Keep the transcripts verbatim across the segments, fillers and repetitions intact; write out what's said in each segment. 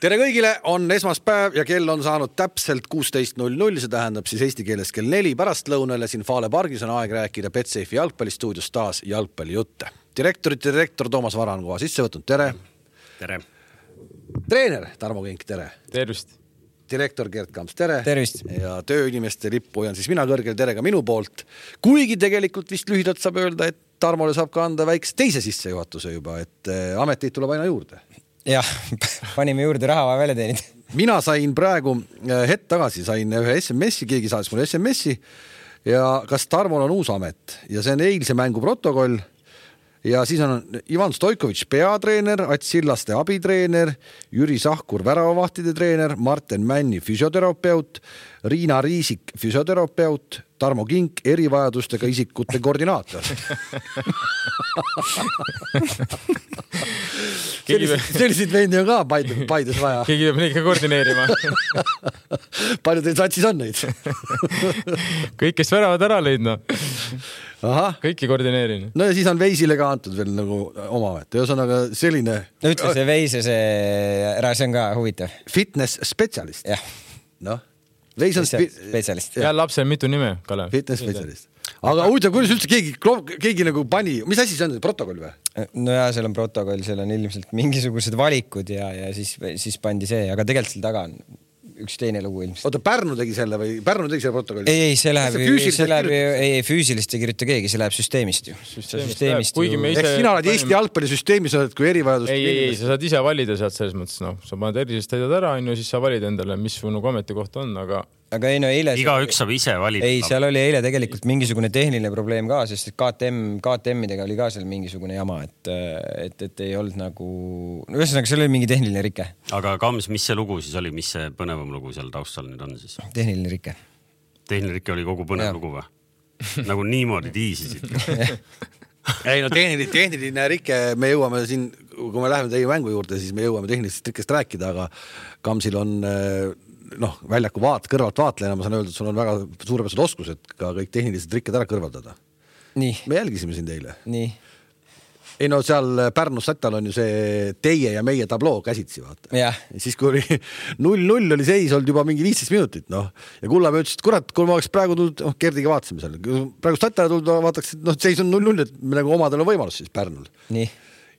Tere kõigile, on esmaspäev ja kell on saanud täpselt kuusteist null null, see tähendab siis eesti keeles kell neli pärastlõunale siin Fale pargis on aeg rääkida Betsafe'i jalgpallistuudios taas jalgpallijutte. Direktorite direktor Toomas Vara on koha sisse võtnud, tere. Tere. Treener Tarmo Kink, tere. Tervist. Direktor Gert Kamps, tere. Tervist. Ja tööinimeste lippu on siis mina kõrgel, tere ka minu poolt. Kuigi tegelikult vist lühidalt saab öelda, et Tarmole saab ka anda väikse teise sissejuhatuse juba, et ameteid tuleb aina juurde. Jah, panime juurde raha vaja välja teenid. Mina sain praegu hetk tagasi, sain ühe S M S-i, keegi saatis mulle S M S-i ja kas Tarmol on uus amet ja see on eilse mängu protokoll ja siis on Ivan Stoikovitš peatreener, Ats Sillaste abitreener, Jüri Sahkur väravavahtide treener, Marten Männi füsioterapeut, Riina Riisik füsioterapeut, Tarmo Kink erivajadustega isikute koordinaator. Selliseid vendi on ka Paides vaja. Keegi peab neid ka koordineerima. Palju teil satsis on neid? Kõik, kes väravad ära leidna. Aha. Kõiki koordineerin. No ja siis on Veisile ka antud veel nagu oma amet. Ühesõnaga selline... No ütle see Veise, see ära, see on ka huvitav. Fitness spetsialist. Jah. Noh. Veis on spe... spetsialist. Ja lapsel mitu nime, Kalev. Fitness spetsialist. Aga huvitav, kuidas üldse keegi, keegi nagu pani... Mis asi see on? Protokoll või? No ja, seal on protokoll, seal on ilmselt mingisugused valikud ja, ja siis, siis pandi see, aga tegelikult seal taga on üks teine lugu ilmselt. Oota, Pärnu tegi selle või Pärnu tegi selle protokolli? Ei, ei, see läheb, see läheb ei, füüsilist ei kirjuta keegi, see läheb süsteemist ju. Süsteemist, süsteemist ju... ju... Ehk sina oled Eesti jalgpallisüsteemis, oled kui erivajadust... Ei, ei, sa saad ise valida sealt selles mõttes, no, sa paned erisest täidad ära, on ju, siis sa valid endale, mis su nagu ametikoht on, aga... Aga ei, no eile... Iga üks saab ise valida. Ei, seal oli eile tegelikult mingisugune tehniline probleem ka, sest K T M, K T M-idega oli ka seal mingisugune jama, et, et, et ei olnud nagu... No ühesõnaga, seal oli mingi tehniline rike. Aga Kams, mis see lugu siis oli, mis see põnevam lugu seal taustal nüüd on siis? Tehniline rike. Tehniline rike oli kogu põnev ja. Lugu või? Nagu niimoodi tiisisid. Ei no tehniline, tehniline rike, me jõuame siin, kui me läheme teie mängu juurde, siis me jõuame tehnilisest rikkest rääkida, aga Kamsil on... noh, väljaku vaat, kõrvalt vaatlejana ma saan öelda, et sul on väga suurepärased oskused ka kõik tehnilised rikked ära kõrvaldada. Nii. Me jälgisime siin teile. Nii. Ei no seal Pärnus Sätal on ju see teie ja meie tabloo käsitsi, vaata. Ja. Ja siis kui oli null null oli seis olnud juba mingi viisteist minutit, noh. Ja Kullamäe ütles, et kurat, kui ma oleks praegu tulnud, noh, Gerdiga vaatasime seal. Praegu Sätale tulnud, vaataks, et noh, seis on null null, et me nagu omadel on võimalus siis Pärnul. Nii.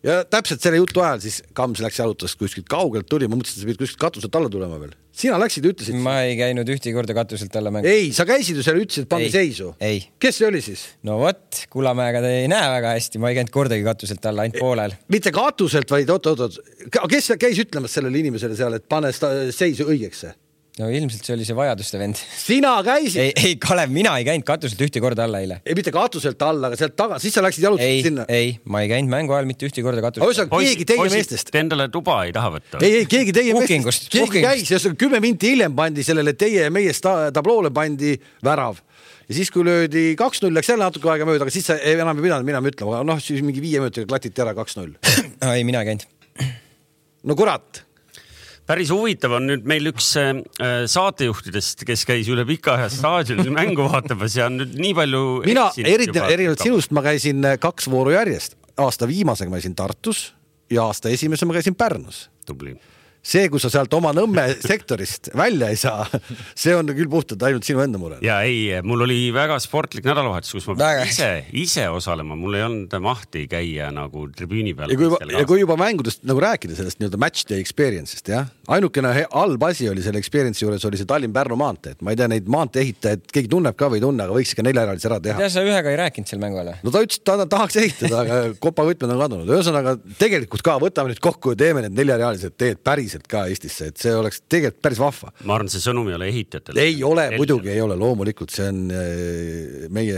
Ja täpselt selle jutu ajal siis Kams läks jalutas kuskilt kaugelt tuli, ma mõtlesin, et sa pidid kuskilt katuselt alla tulema veel. Sina läksid ja ütlesid... Ma ei käinud ühti korda katuselt alla mängu. Ei, sa käisid ju seal, ütlesid, et pangi seisu. Ei. Kes see oli siis? No vot, Kullamäega te ei näe väga hästi, ma ei käinud kordagi katuselt alla, ainult poolel. Mitte katuselt, vaid oot, oot, oot. Kes käis ütlemas sellele inimesele seal, et pane seisu õigeks? No ilmselt see oli see vajaduste vend. Sina käisid? Ei, ei, Kalev, mina ei käinud katuselt ühti korda alla eile. Ei, mitte katuselt alla, aga sealt taga, siis sa läksid jalutasid sinna. Ei, ma ei käinud mängu ajal mitte ühti korda katuselt. Osa, keegi teie meestest. Te endale tuba ei taha võtta. Ei, ei, keegi teie Puhkingust, meestest. Keegi käis ja kümme minti hiljem pandi sellele teie ja meie tabloole pandi värav. Ja siis kui löödi kaks null, läks jälle natuke aega mööda, aga siis sa enam ei pidanud minema ütlema. Noh, siis mingi viie minutiga klatiti ära kaks null. Ei, mina ei käinud. No kurat. Päris huvitav on nüüd meil üks äh, saatejuhtidest, kes käis üle pika aja staadionil mängu vaatamas ja on nüüd nii palju... Mina erinevalt sinust ma käisin kaks vooru järjest. Aasta viimasega ma käisin Tartus ja aasta esimese ma käisin Pärnus. Tubli. See, kus sa sealt oma Nõmme sektorist välja ei saa, see on küll puhtalt ainult sinu enda mure. Ja ei, mul oli väga sportlik nädalavahetus, kus ma väga. ise, ise osalema. Mul ei olnud mahti käia nagu tribüüni peal. Ja kui, juba, ja kui juba mängudest nagu rääkida sellest nii-öelda match day experience'ist, jah? Ainukene halb asi oli selle experience juures oli see Tallinn-Pärnu maantee. Ma ei tea, neid maantee ehitajaid keegi tunneb ka või ei tunne, aga võiks ikka neljajalise ära teha. Ja sa ühega ei rääkinud seal mängu alla? No ta ütles, et ta tahaks ehitada, aga kopa võtmed on kadunud. Ühesõnaga, tegelikult ka võtame nüüd kokku ja teeme need neljarealised teed päriselt ka Eestisse, et see oleks tegelikult päris vahva. Ma arvan, see sõnum ei ole ehitajatel. Ei ole, muidugi ei ole, loomulikult see on meie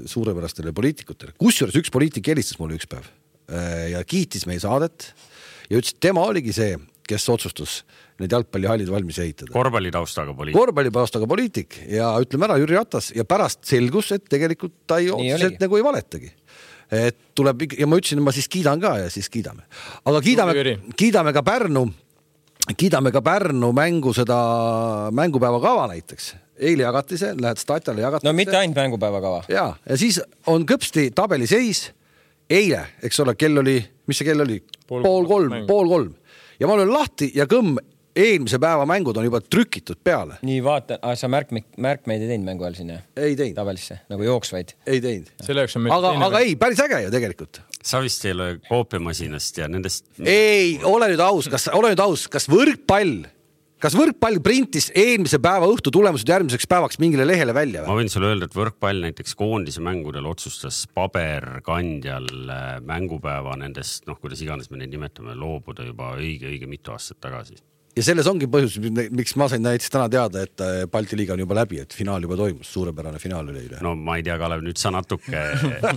suurepärastele poliitikutele. Kusjuures üks poliitik helistas mulle üks päev ja kiitis meie saadet ja ütles, et tema oligi see, kes otsustus need jalgpallihallid valmis ehitada. Korvpallitaustaga poliitik. Korvpallitaustaga poliitik ja ütleme ära Jüri Ratas ja pärast selgus, et tegelikult ta ei otsuselt nagu ei valetagi. Et tuleb, ja ma ütlesin, ma siis kiidan ka ja siis kiidame. Aga kiidame, kiidame ka Pärnu kiidame ka Pärnu mängu seda mängupäeva kava näiteks. Eile jagati see, lähed statale jagati No mitte ainult mängupäeva kava. Ja, ja siis on kõpsti tabeli seis eile, eks ole, kell oli, mis see kell oli? Pool, pool kolm, pool kolm. Ja ma olen lahti ja kõmm eelmise päeva mängud on juba trükitud peale. nii vaata, ah, sa märk, märkmeid ei teinud mängu all siin, jah? Ei teinud. Tabelisse, nagu jooksvaid? Ei teinud. Aga, aga ei, päris äge ju tegelikult. Sa vist ei ole koopiamasinast ja nendest... Ei, ole nüüd aus, kas, ole nüüd aus, kas võrkpall, kas võrkpall printis eelmise päeva õhtu tulemused järgmiseks päevaks mingile lehele välja? Ma võin sulle öelda, et võrkpall näiteks koondise mängudel otsustas paberkandjal mängupäeva nendest, noh, kuidas iganes me neid nimetame, loobuda juba õige, õige mitu aastat tagasi. Ja selles ongi põhjus, miks ma sain näiteks täna teada, et Balti liiga on juba läbi, et finaal juba toimus, suurepärane finaal üle üle. No ma ei tea, Kalev, nüüd sa natuke,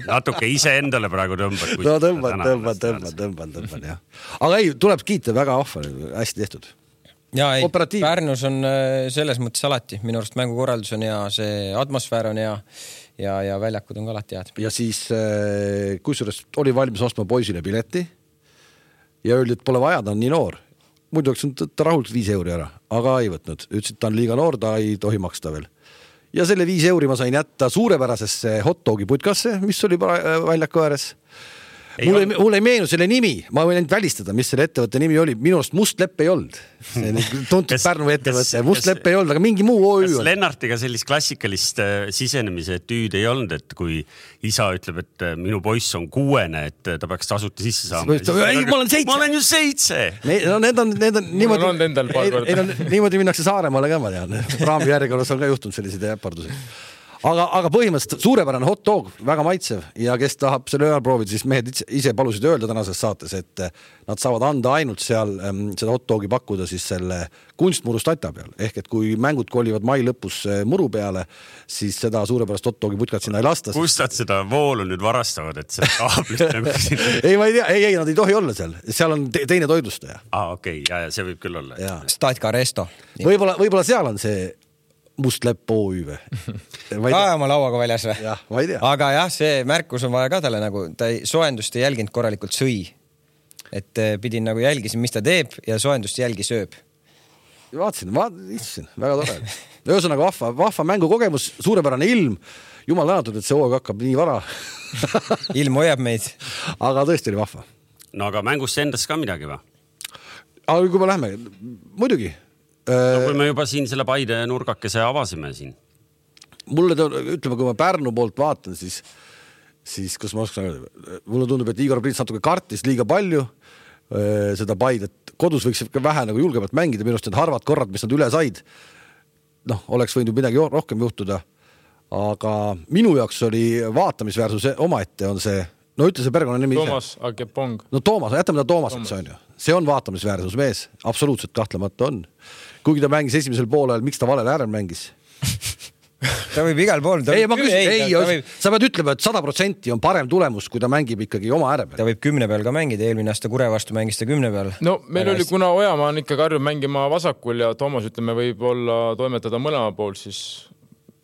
natuke ise endale praegu tõmbad. No tõmbad, tõmbad, tõmbad, tõmbad, tõmbad, jah. Aga ei, tuleb kiita, väga ahva, hästi tehtud. Ja ei, Pärnus on selles mõttes alati, minu arust mängukorraldus on hea, see atmosfäär on hea ja, ja väljakud on ka alati head. Ja siis, kusjuures oli valmis ostma poisile pileti ja öeldi, et pole vaja, ta on nii noor. Muidu oleks ta rahult viis euri ära, aga ei võtnud. Ütles, et ta on liiga noor, ta ei tohi maksta veel. Ja selle viis euri ma sain jätta suurepärasesse hotdogi putkasse, mis oli väljaku ääres. Mulle ei, mul ei meenu selle nimi, ma võin ainult välistada, mis selle ettevõtte nimi oli. Minu arust Must Lepp ei olnud. See tuntud Pärnu ettevõtte. Must Lepp ei olnud, aga mingi muu O Ü on. Kas Lennartiga sellist klassikalist sisenemise tüüd ei olnud, et kui isa ütleb, et minu poiss on kuuene, et ta peaks tasuta sisse saama? Ei, ma olen seitse. Ma olen ju seitse. No, need on, need on niimoodi, on endal paar korda. Ei, no, niimoodi minnakse Saaremaale ka, ma tean. Raami järjekorras on ka juhtunud sellised äpardusi. Aga, aga põhimõtteliselt suurepärane hot dog, väga maitsev ja kes tahab selle ööl proovida, siis mehed ise palusid öelda tänases saates, et nad saavad anda ainult seal ähm, seda hot dogi pakkuda siis selle kunstmuru stata peal. Ehk et kui mängud kolivad mai lõpus muru peale, siis seda suurepärast hot dogi putkat sinna ei lasta. Kust nad seda voolu nüüd varastavad, et see kaablit nagu siin... ei, ma ei tea, ei, ei, nad ei tohi olla seal. Seal on te teine toidlustaja. Ah, okei, okay. ja, ja see võib küll olla. Statka Resto. Võib-olla, võib-olla seal on see Must Lepp O Ü või? Ka oma lauaga väljas või? Jah, ma ei tea. Aga jah, see märkus on vaja ka talle nagu, ta ei, soendust ei jälginud korralikult sõi. Et pidin nagu jälgisin, mis ta teeb ja soendust jälgi sööb. Vaatasin, ma istusin, väga tore. Ühesõnaga vahva, vahva mängukogemus, suurepärane ilm. Jumal tänatud, et see hooga hakkab nii vara. Ilm hoiab meid. Aga tõesti oli vahva. No aga mängust endas ka midagi või? Aga kui me lähme, muidugi. No, kui me juba siin selle Paide nurgakese avasime siin. Mulle, ütleme, kui ma Pärnu poolt vaatan, siis, siis kus ma oskan öelda, mulle tundub, et Igor Prits natuke kartis liiga palju seda Paidet. Kodus võiks vähe nagu julgemalt mängida, minu arust need harvad korrad, mis nad üle said, noh, oleks võinud midagi rohkem juhtuda. Aga minu jaoks oli vaatamisväärsus omaette on see, no ütle see perekonna nimi Toomas Agepong. No Toomas, jätame ta Toomaseks, on ju. See on vaatamisväärsus mees, absoluutselt kahtlemata on. Kuigi ta mängis esimesel poolel, miks ta valel äärel mängis? Ta võib igal pool. Ei, ma küsin, ei, ei võib... sa pead ütlema, et sada protsenti on parem tulemus, kui ta mängib ikkagi oma ääre peal. Ta võib kümne peal ka mängida, eelmine aasta Kure vastu mängis ta kümne peal. No meil oli, kuna Ojamaa on ikka karju mängima vasakul ja Toomas, ütleme, võib olla toimetada mõlema pool, siis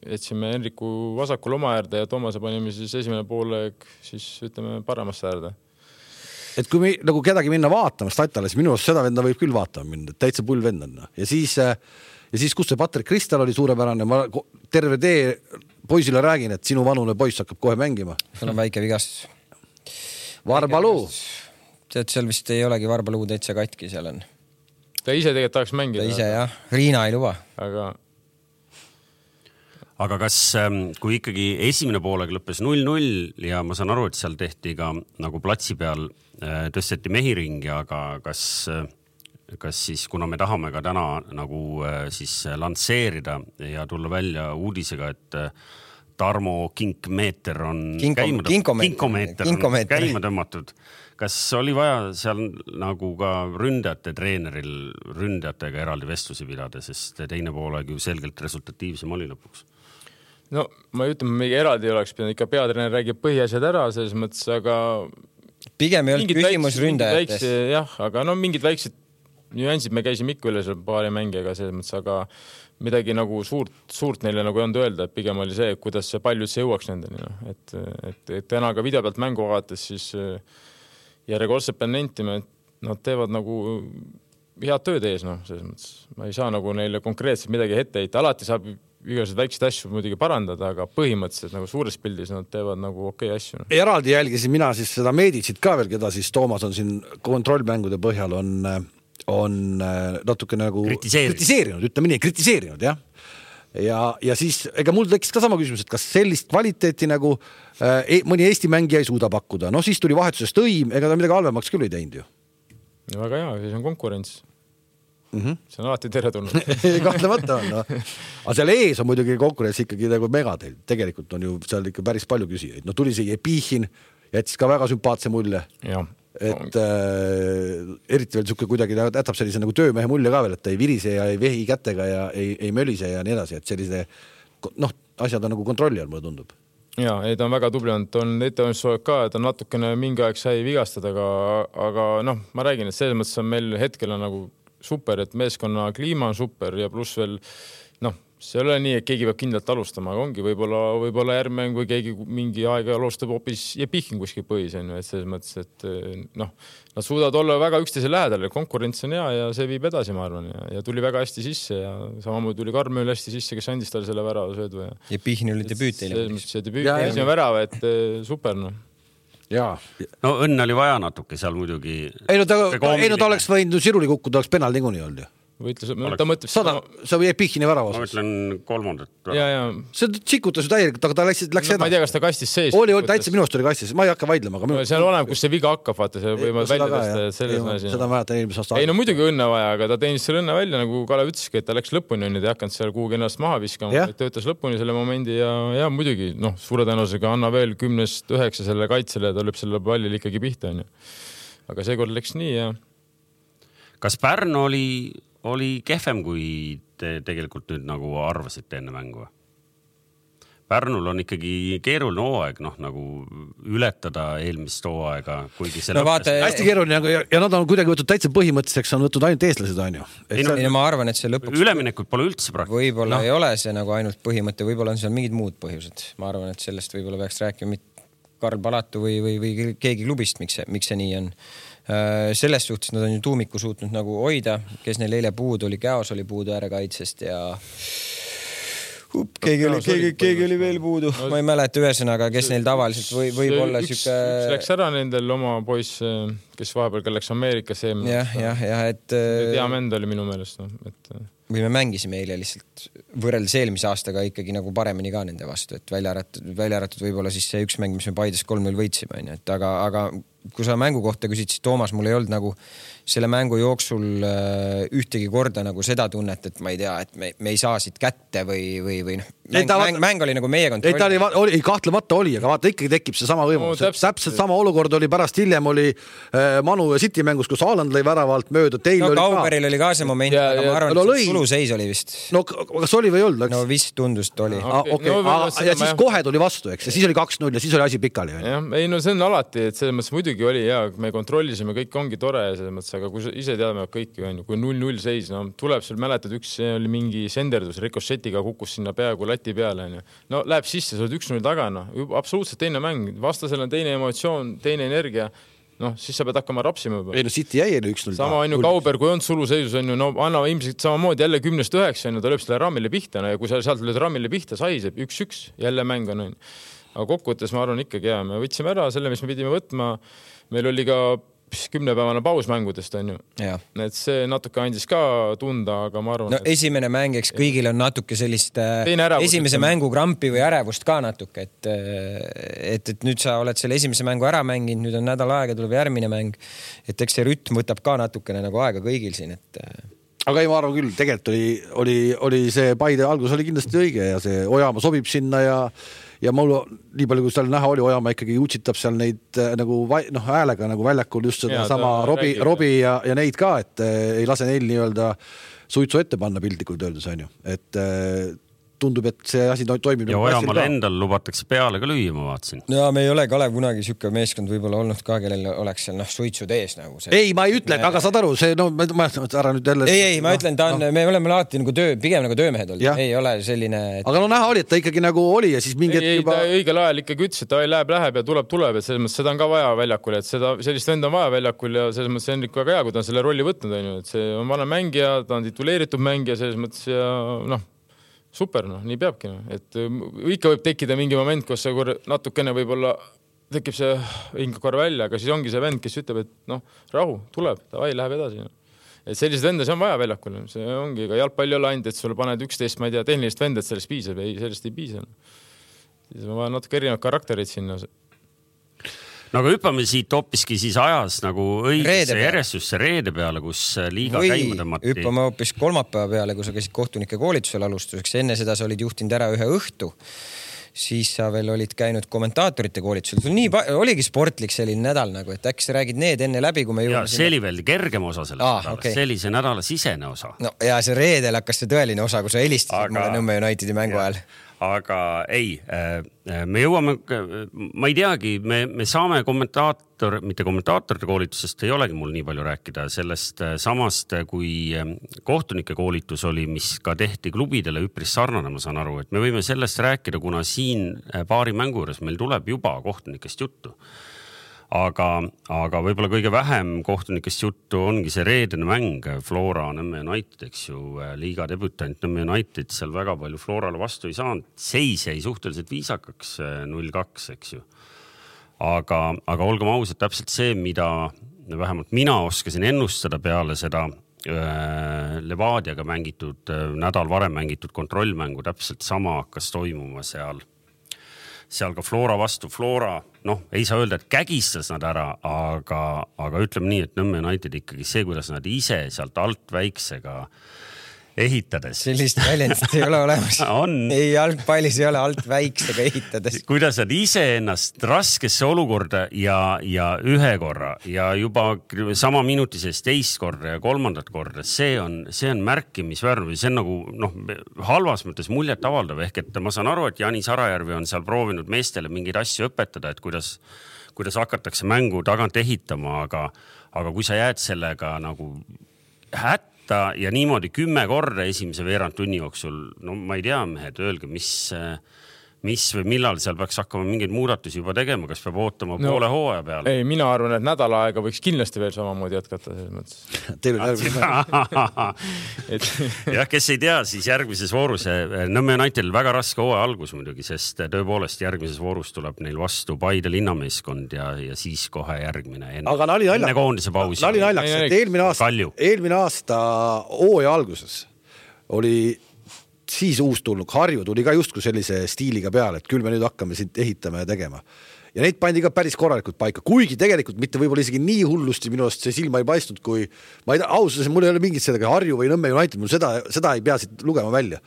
jätsime Henriku vasakul oma äärde ja Toomase panime siis esimene poolek, siis ütleme paremasse äärde. Et kui me nagu kedagi minna vaatama statale, siis minu arust seda venda võib küll vaatama minna, täitsa pull vendana. Ja siis, ja siis kus see Patrik Kristal oli suurepärane, ma terve tee poisile räägin, et sinu vanune poiss hakkab kohe mängima. Sul on väike vigastus. Varbaluu. Tead, seal vist ei olegi Varbaluu täitsa katki, seal on. Ta ise tegelikult tahaks mängida. Ta ise, jah. Riina ei luba. Aga... Aga kas, kui ikkagi esimene poolega lõppes null null ja ma saan aru, et seal tehti ka nagu platsi peal tõsteti mehiringi, aga kas, kas siis, kuna me tahame ka täna nagu siis lansseerida ja tulla välja uudisega, et Tarmo Kinkmeeter on Kinko, käima, kinkomeeter, kinkomeeter on käima tõmmatud. Kas oli vaja seal nagu ka ründajate treeneril ründajatega eraldi vestlusi pidada, sest teine poolega ju selgelt resultatiivsem oli lõpuks? No ma ei ütleme, mingi eraldi oleks pidanud, ikka peatreener räägib põhiasjad ära selles mõttes, aga pigem ei olnud küsimus ründajates. Jah, aga no mingid väiksed nüansid me käisime ikka üle seal paari mängijaga selles mõttes, aga midagi nagu suurt, suurt neile nagu ei olnud öelda, et pigem oli see, kuidas see palju üldse jõuaks nendeni. No. Et, et, et täna ka video pealt mängu vaates siis järjekordselt pean nentima, et nad teevad nagu head tööd ees. No, selles mõttes. Ma ei saa nagu neile konkreetselt midagi ette heita. Alati saab igased väikseid asju muidugi parandada, aga põhimõtteliselt nagu suures pildis nad teevad nagu okei asju. No. Eraldi jälgisin mina siis seda Meeditsit ka veel, keda siis Toomas on siin kontrollmängude põhjal on on natuke nagu kritiseerinud, kritiseerinud, ütleme nii, kritiseerinud, jah. Ja, ja siis, ega mul tekkis ka sama küsimus, et kas sellist kvaliteeti nagu äh, mõni Eesti mängija ei suuda pakkuda. No siis tuli vahetusest õim, ega ta midagi halvemaks küll ei teinud ju. Ja väga hea, siis on konkurents. Mm-hmm. See on alati teretulnud. Kahtlemata on, no. Aga seal ees on muidugi konkurents ikkagi nagu megatel. Tegelikult on ju seal ikka päris palju küsijaid. No tuli see Jepichin, jättis ka väga sümpaatse mulje. Ja. Et äh, eriti veel suke kuidagi jätab sellise nagu töömehe mulje ka veel, et ei virise ja ei vehi kätega ja ei, ei mölise ja nii edasi, et sellise noh, asjad on nagu kontrolli all, mulle tundub. Ja, ei, ta on väga tubli olnud, on ettevalmistused ka, et on natukene mingi aeg sai vigastada, aga, aga noh, ma räägin, et selles mõttes on meil hetkel on nagu super, et meeskonna kliima on super ja pluss veel noh, see ei ole nii, et keegi peab kindlalt alustama, aga ongi võib-olla, võib-olla järgmäng või keegi mingi aeg alustab hoopis Jepichin kuskil põhis, on ju, et selles mõttes, et noh, nad suudavad olla väga üksteise lähedal ja konkurents on hea ja see viib edasi, ma arvan, ja, ja tuli väga hästi sisse ja samamoodi tuli Karmööl hästi sisse, kes andis talle selle värava söödu. Ja Jepichin oli debüüt teile. See debüüt oli värava, et super, noh. Jaa. No õnn oli vaja natuke seal muidugi. Ei no ta, ei no ta oleks võinud siruli kukkuda, oleks penal niikuinii olnud ju. Võitles, ta mõtleb sada, see oli Epichini värava osas. Ma ütlen kolmandat. Ja, ja. See tsikutas ju täielikult, aga ta läks, läks no, edasi. Ma ei tea, kas ta kastis sees. Oli, oli täitsa minust oli kastis, ma ei hakka vaidlema. Aga no, seal oleneb, kus see viga hakkab, vaata, see võime välja tõsta, et selles ei, asi. Seda mäletan eelmise aasta. Ei no muidugi õnne vaja, aga ta teenis selle õnne välja, nagu Kalev ütleski, et ta läks lõpuni, on, et ei hakanud seal kuhugi ennast maha viskama, et töötas lõpuni selle momendi ja, ja muidugi, noh, suure tõenäosusega anna veel kümnest üheksa selle kaitsele ja ta lööb selle pallil ikkagi pihta, on ju. Aga seekord läks nii ja kas Pärnu oli oli kehvem, kui te tegelikult nüüd nagu arvasite enne mängu? Pärnul on ikkagi keeruline hooaeg, noh, nagu ületada eelmist hooaega, kuigi see no, vaata, hästi keeruline ja, ja nad on kuidagi võtnud täitsa põhimõtteseks, on võtnud ainult eestlased, on ju. Ei, no, ei, no, ma arvan, et see lõpuks üleminekud pole üldse praktiliselt. Võib-olla no. Ei ole see nagu ainult põhimõte, võib-olla on seal mingid muud põhjused. Ma arvan, et sellest võib-olla peaks rääkima Karl Palatu või, või, või keegi klubist, miks see, miks see nii on. Selles suhtes nad on ju tuumiku suutnud nagu hoida, kes neil eile puudu oli, Käos oli puudu äärekaitsest ja Up, keegi, oli, keegi, keegi oli veel puudu, no, ma ei mäleta ühesõnaga, kes neil tavaliselt või, võib olla üks, süke... üks läks ära nendel oma poiss, kes vahepeal läks Ameerikasse. Jah, jah, jah, et... Diamend oli minu meelest. No, et... või me mängisime eile lihtsalt võrreldes eelmise aastaga ikkagi nagu paremini ka nende vastu, et välja äratud, välja äratud võib-olla siis see üks mäng, mis me Paides kolm null võitsime, et aga, aga kui sa mängu kohta küsid, siis Toomas, mul ei olnud nagu selle mängu jooksul ühtegi korda nagu seda tunnet, et ma ei tea, et me, me ei saa siit kätte või, või, või noh, mäng, ta, mäng, mäng oli nagu meie kontroll. Ei, ta oli, oli, kahtlemata oli, aga vaata ikkagi tekib see sama võimalus. No, täpselt, täpselt sama olukord oli pärast hiljem oli äh, Manu ja City mängus, kus Haaland lõi väravalt mööda. Teil no oli Kauberil ka... oli ka see moment, ja, aga ja, ma arvan, no, et suluseis oli vist. No kas oli või ei olnud? No vist tundus, et oli. Ah, okay. no, ah, ja siis ma... kohe tuli vastu, eks, ja siis oli kaks null ja siis oli asi pikali. Ja, ei no see on alati, et selles mõttes muidugi oli ja me kontrollisime, kõik ongi tore ja selles mõttes, aga kui ise teadame kõiki, on ju, kui null null seis, no tuleb seal mäletad, üks oli mingi senderdus, Ricochettiga kukkus sinna peaaegu lati peale, on ju. No läheb sisse, sa oled üks null taga, no absoluutselt teine mäng, vastasel on teine emotsioon, teine energia, noh, siis sa pead hakkama rapsima juba. Ei no City jäi üks null. Sama on ju Kauber, kui on suluseisus, on ju, no anna ilmselt samamoodi jälle kümnest üheksa, on ju, ta lööb selle rammile pihta, no ja kui sa sealt lööd rammile pihta, saiseb üks üks, jälle mäng on, on. Aga kokkuvõttes ma arvan ikkagi, ja me võtsime ära selle, mis me pidime võtma. Meil oli ka kümnepäevane paus mängudest, on ju. Ja. Et see natuke andis ka tunda, aga ma arvan... No et... esimene mäng, eks kõigil on natuke sellist esimese mängu krampi või ärevust ka natuke, et, et, et nüüd sa oled selle esimese mängu ära mänginud, nüüd on nädal aega, tuleb järgmine mäng, et eks see rütm võtab ka natukene nagu aega kõigil siin, et... Aga ei, ma arvan küll, tegelikult oli, oli, oli see Paide algus oli kindlasti õige ja see Ojamaa sobib sinna ja ja mul nii palju, kui seal näha oli, Ojamaa ikkagi utsitab seal neid nagu noh, häälega nagu väljakul just seda ja, sama Robi, Robi ja, ja neid ka, et ei lase neil nii-öelda suitsu ette panna piltlikult öeldes, on ju. Et tundub, et see asi toimib. Ja Ojamaal endal lubatakse peale ka lüüa, ma vaatasin. Ja me ei ole Kalev kunagi sükke meeskond võib-olla olnud ka, kellel oleks seal noh, suitsud ees nagu see. Ei, ma ei ütle, aga saad aru, see no ma, ma ära nüüd jälle... Ei, ei, ma no, ütlen, ta on, no. Me oleme alati nagu töö, pigem nagu töömehed olnud. Ja. Ei ole selline... Et... Aga no näha oli, et ta ikkagi nagu oli ja siis mingi... Ei, juba... ta õigel ajal ikkagi ütles, et ta läheb, läheb ja tuleb, tuleb, et selles mõttes seda on ka vaja väljakul, et seda, sellist venda on vaja väljakul ja selles mõttes see on ikka väga hea, kui ta on selle rolli võtnud, on ju, et see on vana mängija, ta on tituleeritud mängija selles mõttes ja noh, super, noh, nii peabki, noh. Et ikka võib tekkida mingi moment, kus see natukene võib-olla tekib see hingakor välja, aga siis ongi see vend, kes ütleb, et noh, rahu, tuleb, davai, läheb edasi. No. et sellised vendas on vaja väljakul, see ongi ka jalgpalli olla ainult, et sulle paned üksteist, ma ei tea, tehnilist vendat, sellest piisab, ei, sellest ei piisa. Siis on vaja natuke erinevad karakterid sinna. No aga hüppame siit hoopiski siis ajas nagu õigesse järjestusse reede peale, kus liiga või käima tõmmati. Hüppame hoopis kolmapäeva peale, kui sa käisid kohtunike koolitusel alustuseks. Enne seda sa olid juhtinud ära ühe õhtu. Siis sa veel olid käinud kommentaatorite koolitusel. Sul nii oligi sportlik selline nädal nagu, et äkki sa räägid need enne läbi, kui me jõuame. Ja see oli veel kergem osa sellest ah, nädalast. Okay. See oli see nädala sisene osa. No ja see reedel hakkas see tõeline osa, kui sa helistasid aga... mulle Nõmme Unitedi mängu ajal. Aga ei, me jõuame, ma ei teagi, me, me saame kommentaator, mitte kommentaatorite koolitusest ei olegi mul nii palju rääkida sellest samast, kui kohtunike koolitus oli, mis ka tehti klubidele üpris sarnane, ma saan aru, et me võime sellest rääkida, kuna siin paari mängu juures meil tuleb juba kohtunikest juttu. Aga, aga võib-olla kõige vähem kohtunikest juttu ongi see reedene mäng Flora Nõmme United, eks ju, liiga debütant Nõmme United, seal väga palju Florale vastu ei saanud, seis jäi suhteliselt viisakaks null kaks, eks ju. Aga, aga olgem ausad, täpselt see, mida vähemalt mina oskasin ennustada peale seda äh, Levadiaga mängitud, nädal varem mängitud kontrollmängu, täpselt sama hakkas toimuma seal. Seal ka Flora vastu. Flora, noh, ei saa öelda, et kägistas nad ära, aga, aga ütleme nii, et Nõmme United ikkagi see, kuidas nad ise sealt alt väiksega ehitades. Sellist väljendit ei ole olemas. On. Ei, jalgpallis ei ole alt väiksega ehitades. Kuidas nad ise ennast raskesse olukorda ja, ja ühe korra ja juba sama minuti sees teist korda ja kolmandat korda, see on, see on märkimisväärne. See on nagu noh, halvas mõttes muljet avaldav. Ehk et ma saan aru, et Jani Sarajärvi on seal proovinud meestele mingeid asju õpetada, et kuidas, kuidas hakatakse mängu tagant ehitama, aga, aga kui sa jääd sellega nagu hätta ja niimoodi kümme korda esimese veerand tunni jooksul, no ma ei tea, mehed, öelge, mis, mis või millal seal peaks hakkama mingeid muudatusi juba tegema, kas peab ootama no, poole hooaja peale? Ei, mina arvan, et nädala aega võiks kindlasti veel samamoodi jätkata selles mõttes. Teil on et... jah, kes ei tea, siis järgmises voorus Nõmme Unitedil väga raske hooaja algus muidugi, sest tõepoolest järgmises voorus tuleb neil vastu Paide linnameeskond ja, ja siis kohe järgmine enne, aga nali naljaks, enne koondise pausi. Nali naljaks, et eelmine aasta, eelmine aasta hooaja alguses oli siis uus tulnud, Harju tuli ka justkui sellise stiiliga peale, et küll me nüüd hakkame siit ehitama ja tegema. Ja neid pandi ka päris korralikult paika, kuigi tegelikult mitte võib-olla isegi nii hullusti minu arust see silma ei paistnud, kui ma ei tea, ausalt, mul ei ole mingit seda Harju või Nõmme United, mul seda, seda ei pea siit lugema välja.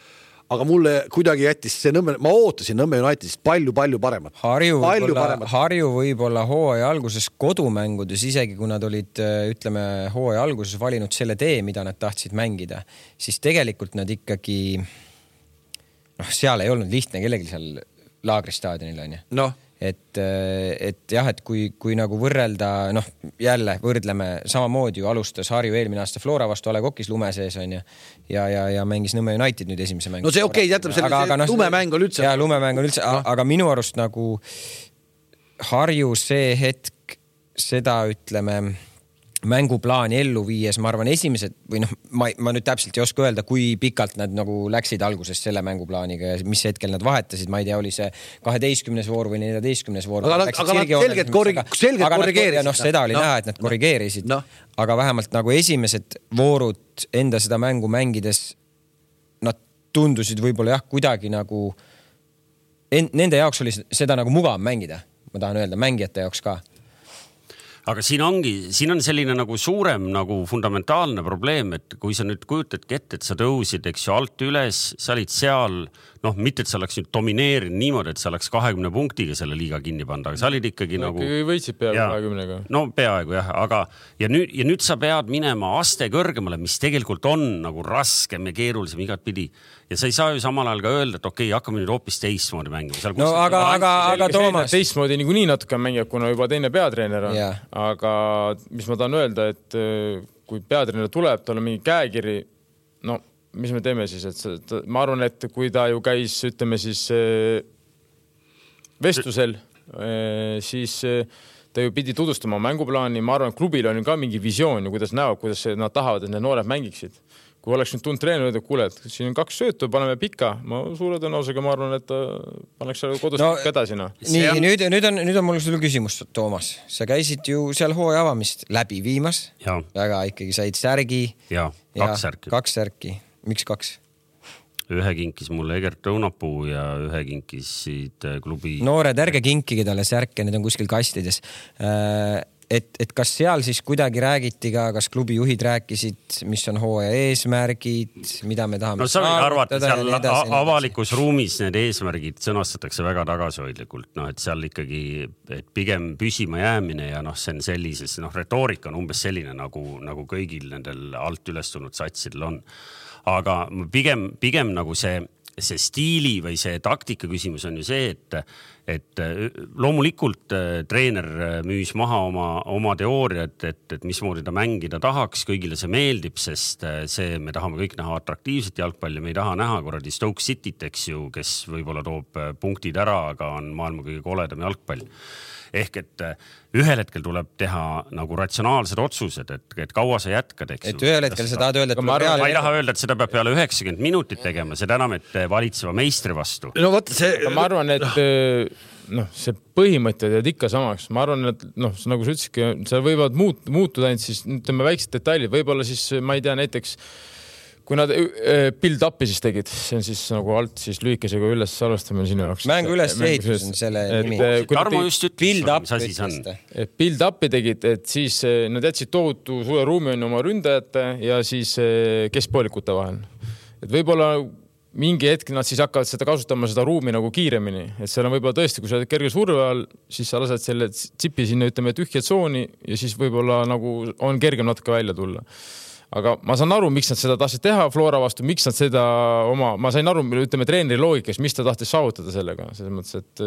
Aga mulle kuidagi jättis see Nõmme, ma ootasin Nõmme Unitedist palju-palju paremat. Harju võib-olla, Harju võib-olla hooaja alguses kodumängudes, isegi kui nad olid, ütleme, hooaja alguses valinud selle tee, mida nad tahtsid mängida, siis tegelikult nad ikkagi noh, seal ei olnud lihtne kellegi seal laagristaadionil on ju. Noh. Et, et jah, et kui, kui nagu võrrelda, noh, jälle võrdleme samamoodi ju alustas Harju eelmine aasta Flora vastu Ale Kokis lume sees on ju, ja, ja, ja mängis Nõmme United nüüd esimese mängu. No see okei, okay, jätame selle, aga, aga, no, lumemäng on üldse. Ja lumemäng on üldse, no. Aga minu arust nagu Harju see hetk seda ütleme mänguplaani ellu viies, ma arvan esimesed või noh, ma, ma nüüd täpselt ei oska öelda, kui pikalt nad nagu läksid alguses selle mänguplaaniga ja mis hetkel nad vahetasid, ma ei tea, oli see kaheteistkümnes voor või neljateistkümnes voor. Aga, aga nad selgelt, korrig, selgelt korrigeerisid. Noh, seda oli no. näha, et nad korrigeerisid, no. Aga vähemalt nagu esimesed voorud enda seda mängu mängides nad tundusid võib-olla jah, kuidagi nagu en, nende jaoks oli seda nagu mugav mängida, ma tahan öelda, mängijate jaoks ka. Aga siin ongi, siin on selline nagu suurem nagu fundamentaalne probleem, et kui sa nüüd kujutadki ette, et sa tõusid, eks ju, alt üles, sa olid seal, noh, mitte et sa oleks nüüd domineerinud niimoodi, et sa oleks kahekümne punktiga selle liiga kinni panda, aga sa olid ikkagi no, nagu... võitsid peaaegu kahekümnega. No peaaegu jah, aga ja nüüd, ja nüüd sa pead minema aste kõrgemale, mis tegelikult on nagu raskem ja keerulisem igat pidi. Ja sa ei saa ju samal ajal ka öelda, et okei, okay, hakkame nüüd hoopis teistmoodi mängima. No aga, aga, aga Toomas... Teistmoodi niikuinii natuke mängib, kuna juba teine peatreener on. Yeah. Aga mis ma tahan öelda, et kui peatreener tuleb, tal on mingi käekiri, no mis me teeme siis, et ma arvan, et kui ta ju käis, ütleme siis vestlusel, siis ta ju pidi tutvustama mänguplaani, ma arvan, et klubil on ka mingi visioon, kuidas näevad, kuidas nad tahavad, et need noored mängiksid. kui oleks nüüd tund treener, et kuule, et siin on kaks söötu, paneme pika, ma suure tõenäosusega ma arvan, et paneks kodus no, pikka edasi. No. Nii, on... nüüd, nüüd, on, nüüd on mul sulle küsimus, Toomas. Sa käisid ju seal hooaja avamist läbi viimas. Ja. Väga ikkagi said särgi. Ja, kaks särki. Kaks särki. Miks kaks? Ühe kinkis mulle Egert Õunapuu ja ühe kinkisid klubi... Noored, ärge kinkige talle särke, need on kuskil kastides. Äh, Et, et kas seal siis kuidagi räägiti ka, kas klubi juhid rääkisid, mis on hooaja eesmärgid, mida me tahame no, arvata, seal edasi, avalikus ruumis need eesmärgid sõnastatakse väga tagasihoidlikult, noh, et seal ikkagi et pigem püsima jäämine ja noh, see on sellises, noh, retoorika on umbes selline, nagu, nagu kõigil nendel alt ülestunud satsidel on. Aga pigem, pigem nagu see, see stiili või see taktika küsimus on ju see, et et loomulikult treener müüs maha oma, oma teooriat, et, et mismoodi ta mängida tahaks, kõigile see meeldib, sest see, me tahame kõik näha atraktiivset jalgpalli, me ei taha näha korradi Stoke Cityt, eks ju, kes võib-olla toob punktid ära, aga on maailma kõige koledam jalgpall. Ehk et ühel hetkel tuleb teha nagu ratsionaalsed otsused, et, et kaua sa jätkad, eks ju. Et ühel hetkel sa tahad öelda, et ma, arvan, ma ei taha öelda, et seda peab peale üheksakümmend minutit tegema, seda enam, et valitseva meistri vastu. No võtta see... Ma arvan, et noh, see põhimõtted jääd ikka samaks. Ma arvan, et noh, nagu sa ütlesidki, seal võivad muut, muutuda ainult siis, ütleme, väiksed detailid, võib-olla siis, ma ei tea, näiteks kui nad build-up'i siis tegid, see on siis nagu alt siis lühikesega üles alustamine sinu jaoks. Mängu üles ehitus on selle nimi. Tarmo just ütles, mis asi see on. Build-up'i tegid, et siis nad jätsid tohutu suure ruumi on oma ründajate ja siis keskpoolikute vahel. Et võib-olla mingi hetk nad siis hakkavad seda kasutama seda ruumi nagu kiiremini. Et seal on võib-olla tõesti, kui sa oled kerge surve all, siis sa lased selle tsipi sinna, ütleme, tühja tsooni ja siis võib-olla nagu on kergem natuke välja tulla. Aga ma saan aru, miks nad seda tahtsid teha Flora vastu, miks nad seda oma, ma sain aru, ütleme treeneri loogikast, mis ta tahtis saavutada sellega, selles mõttes, et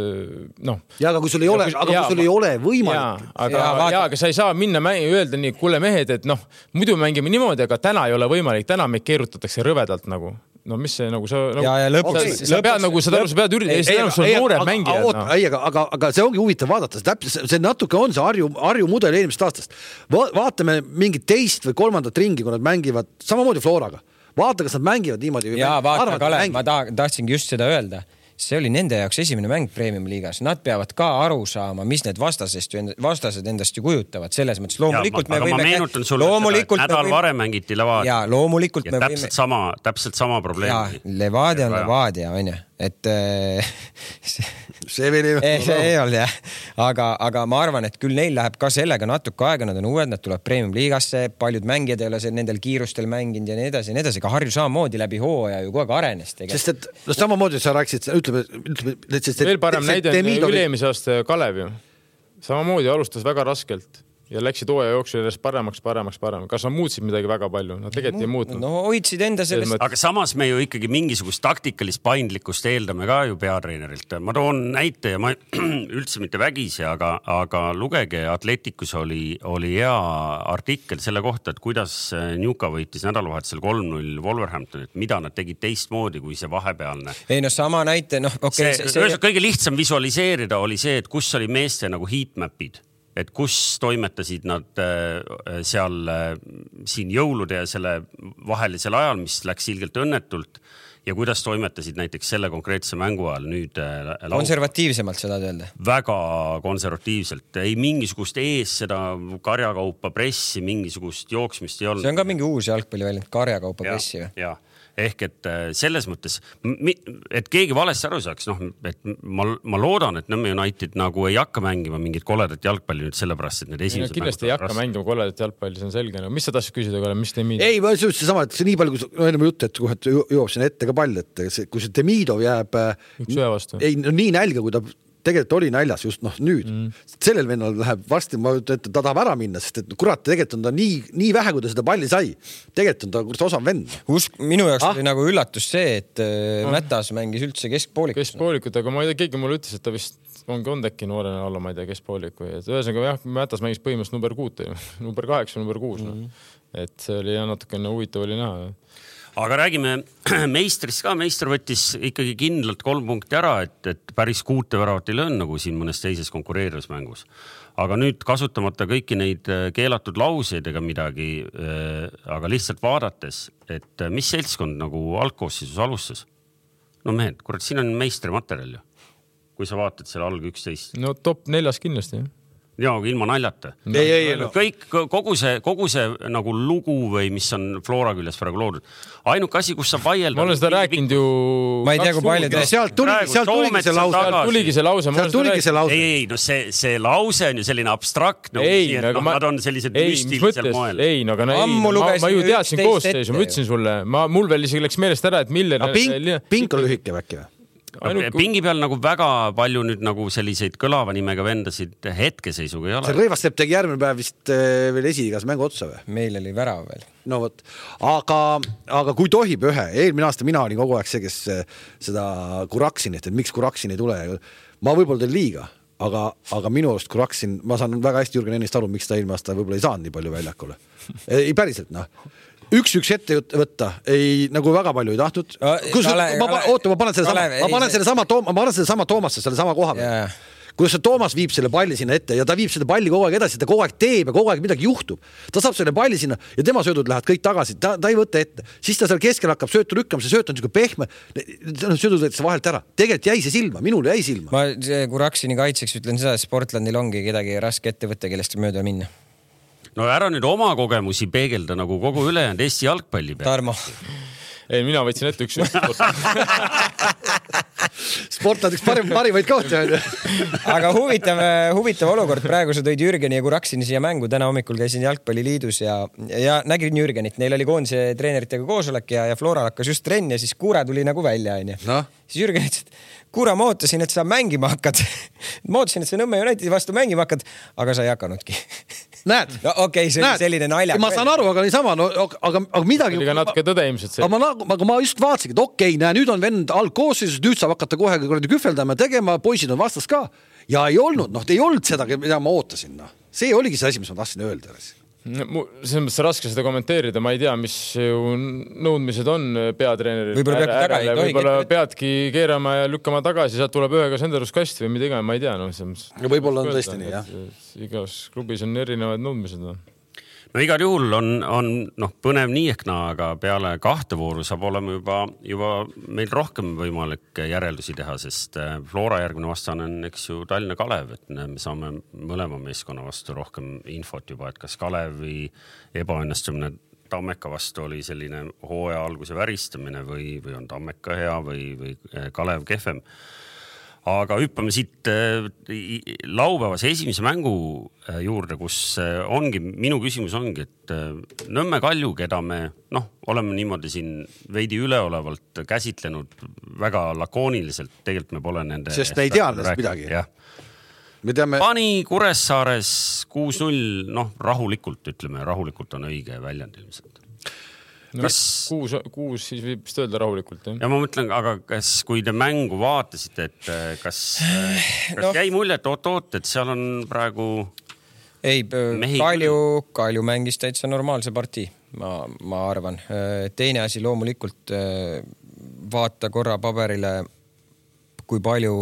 noh. Ja, aga kui sul ei ole, aga kui sul ei ole võimalik. Ja, aga, ja, ja, aga sa ei saa minna mängi, öelda nii, kuule mehed, et noh, muidu mängime niimoodi, aga täna ei ole võimalik, täna meid keerutatakse rõvedalt nagu. No mis see nagu sa nagu, ja, ja lõpuks, sa, sa pead nagu seda sa pead üritada, see on sul noored mängijad. No. Ei, aga, aga, aga see ongi huvitav vaadata, täpselt, see natuke on see Harju, Harju mudel eelmisest aastast. Va, vaatame mingit teist või kolmandat ringi, kui nad mängivad samamoodi Floraga. Vaata, kas nad mängivad niimoodi. Ja vaata, Kale, ma tahtsingi just seda öelda. See oli nende jaoks esimene mäng Premium liigas. Nad peavad ka aru saama, mis need vastasest, vastased endast ju kujutavad. Selles mõttes loomulikult ja, me võime... Aga ma meenutan sulle, et nädal võime... varem mängiti Levadia. Ja loomulikult ja me täpselt võime... Sama, täpselt sama probleem. Ja, Levadia on Levadia, on ju. Et see, see veel ei, see ei olnud, jah. Aga, aga ma arvan, et küll neil läheb ka sellega natuke aega, nad on uued, nad tuleb Premium liigasse, paljud mängijad ei ole nendel kiirustel mänginud ja nii edasi, nii edasi. Ka Harju samamoodi läbi hooaja ju kogu aeg arenes. Sest et no, samamoodi sa rääkisid, ütleme, ütleme et, et, veel parem näide on üleemise aasta Kalev ju. Samamoodi alustas väga raskelt. Ja läksid hooaja jooksul järjest paremaks, paremaks, paremaks. Kas nad muutsid midagi väga palju? Nad tegelikult ei muutnud. No hoidsid enda sellest. Aga samas me ju ikkagi mingisugust taktikalist paindlikkust eeldame ka ju peatreenerilt. Ma toon näite ja ma üldse mitte vägisi, aga, aga lugege, Atleticus oli, oli hea artikkel selle kohta, et kuidas Newca võitis nädalavahetusel kolm null Wolverhamptonit, mida nad tegid teistmoodi kui see vahepealne. Ei no sama näite, noh okei. Okay, see, see... kõige lihtsam visualiseerida oli see, et kus oli meeste nagu heatmapid. Et kus toimetasid nad seal siin jõulude ja selle vahelisel ajal, mis läks ilgelt õnnetult ja kuidas toimetasid näiteks selle konkreetse mängu ajal nüüd laud... konservatiivsemalt seda öelda? Väga konservatiivselt. Ei mingisugust ees seda karjakaupa pressi, mingisugust jooksmist ei olnud. See on ka mingi uus jalgpalli välja, karjakaupa pressi või? Jah. Ehk et selles mõttes, et keegi valesti aru saaks, noh, et ma, ma loodan, et Nõmme United nagu ei hakka mängima mingit koledat jalgpalli nüüd sellepärast, et need esimesed... Kindlasti ei hakka rass... mängima koledat jalgpalli, see on selge. No, mis sa tahtsid küsida, mis Demidov? Ei, ma ütlesin sama, et see nii palju, kui no, enne jutt, et kui jõuab sinna ette ka pall, et see, kui see Demidov jääb... Üks ühe vastu. Ei, no, nii nälga, kui ta... tegelikult oli näljas just noh nüüd mm. sellel vennal läheb varsti, ma ütlen, et ta tahab ära minna, sest et kurat, tegelikult on ta nii, nii vähe, kui ta seda palli sai, tegelikult on ta kurat osav vend. Usk, minu jaoks ah? oli nagu üllatus see, et ah. Mätas mängis üldse keskpoolikut. Keskpoolikut, aga ma ei tea, keegi mulle ütles, et ta vist ongi on tekki noorena alla, ma ei tea, keskpooliku. Ühesõnaga jah, Mätas mängis põhimõtteliselt number kuut, number kaheksa, number kuus. Mm. No. Et see oli jah, natukene huvitav oli näha. Aga räägime meistrist ka. Meister võttis ikkagi kindlalt kolm punkti ära, et, et päris kuute väravat ei löön nagu siin mõnes teises konkureerivas mängus. aga nüüd kasutamata kõiki neid keelatud lauseid ega midagi, aga lihtsalt vaadates, et mis seltskond nagu algkoosseisus alustas. No mehed, kurat, siin on meistrimaterjal ju, kui sa vaatad selle alg üksteist. No top neljas kindlasti, jah. Ja ilma naljata. Ei, ei, no. Kõik, kogu see, kogu see nagu lugu või mis on Flora küljes praegu loodud. Ainuk asi, kus sa vaielda... Ma olen seda rääkinud ju... Ma ei tea, kui palju te... Sealt tuligi, sealt tuligi see lause. Sealt tuligi see lause. Sealt tuligi see lause. Ei, ei, no see, see lause on ju selline abstrakt. No, ei, siia, no, no, ma... nad on sellised ei, müstilisel moel. Ei, no, aga no, ei, no, ma, ma ju teadsin koostöös, ma ütlesin sulle. Ma, mul veel isegi läks meelest ära, et mille... No, pink, pink on lühike väkke või? Ainult... Pingi peal nagu väga palju nüüd nagu selliseid kõlava nimega vendasid hetkeseisuga ei ole. See Rõivassepp tegi järgmine päev vist veel esiigas mängu otsa või? Meil oli värav veel. No võt, aga, aga kui tohib ühe, eelmine aasta mina olin kogu aeg see, kes seda Kuraksin, et miks Kuraksin ei tule. Ma võib-olla tein liiga, aga, aga minu arust Kuraksin, ma saan väga hästi Jürgen Ennist aru, miks ta eelmine aasta võib-olla ei saanud nii palju väljakule. Ei päriselt, noh. Üks-üks ette võtta, ei, nagu väga palju ei tahtnud. Kus, kale, ma, kale, oota, ma panen selle kale, sama, ma panen selle sama, ma panen selle sama Toomasse, selle sama koha peal. Yeah. Kuidas see Toomas viib selle palli sinna ette ja ta viib selle palli kogu aeg edasi, ta kogu aeg teeb ja kogu aeg midagi juhtub. Ta saab selle palli sinna ja tema söödud lähevad kõik tagasi, ta, ta ei võtta ette. Siis ta seal keskel hakkab söötu lükkama, see sööt on niisugune pehme, söödud võetakse vahelt ära. Tegelikult jäi see silma, minul jäi silma. Ma Kuraksini kaitseks ütlen seda, et Sportlandil ongi kedagi raske ette võtta, kellest mööda minna. No ära nüüd oma kogemusi peegelda nagu kogu ülejäänud Eesti jalgpalli peal. Tarmo. Ei, mina võtsin ette üks Sportland üks parim, parimaid kohti on. Aga huvitav, huvitav olukord. Praegu sa tõid Jürgeni ja Kuraksini siia mängu. Täna hommikul käisin Jalgpalliliidus ja, ja nägin Jürgenit. Neil oli koondise treeneritega koosolek ja, ja Flora hakkas just trenni ja siis Kuure tuli nagu välja. No. Siis Jürgen ütles, et Kuura, ma ootasin, et sa mängima hakkad. Ma ootasin, et sa Nõmme Unitedi vastu mängima hakkad, aga sa ei hakanudki. Näed? No okei, okay, see oli selline nalja. Ma saan aru, aga niisama, no, aga, aga midagi... Oli ka natuke tõde ilmselt see. Aga ma, aga ma just vaatasin, et okei, okay, näe, nüüd on vend algkoosseisus, nüüd saab hakata kohe kühveldama ja tegema, poisid on vastas ka. Ja ei olnud, noh, ei olnud seda, mida ma ootasin. No. See oligi see asi, mis ma tahtsin öelda. Selles mõttes raske seda kommenteerida, ma ei tea, mis nõudmised on peatreeneril. Võib-olla peabki, taga, ei võib-olla peadki keerama ja lükkama tagasi, sealt tuleb ühega senderuskast või mida iga, ma ei tea. No, võib-olla on tõesti nii, jah. Igas klubis on erinevad nõudmised. No. No igal juhul on, on noh, põnev nii ehk naa, aga peale kahte vooru saab olema juba, juba meil rohkem võimalik järeldusi teha, sest Flora järgmine vastane on, eks ju, Tallinna Kalev, et me saame mõlema meeskonna vastu rohkem infot juba, et kas Kalevi ebaõnnestumine Tammeka vastu oli selline hooaja alguse väristamine või, või on Tammeka hea või, või Kalev kehvem. Aga hüppame siit laupäevase esimese mängu juurde, kus ongi, minu küsimus ongi, et Nõmme Kalju, keda me noh, oleme niimoodi siin veidi üleolevalt käsitlenud väga lakooniliselt, tegelikult me pole nende... Sest me ei tea nendest midagi. Jah. Me teame... Pani Kuressaares kuus null, noh, rahulikult, ütleme, rahulikult on õige väljend ilmselt. No, kas... kuus, kuus siis võib vist öelda rahulikult. Jah? Ja ma mõtlen, aga kas, kui te mängu vaatasite, et kas, kas no. jäi mulje, et oot-oot, et seal on praegu... Ei, Kalju, Kalju mängis täitsa normaalse partii, ma, ma arvan. Teine asi loomulikult vaata korra paberile, kui palju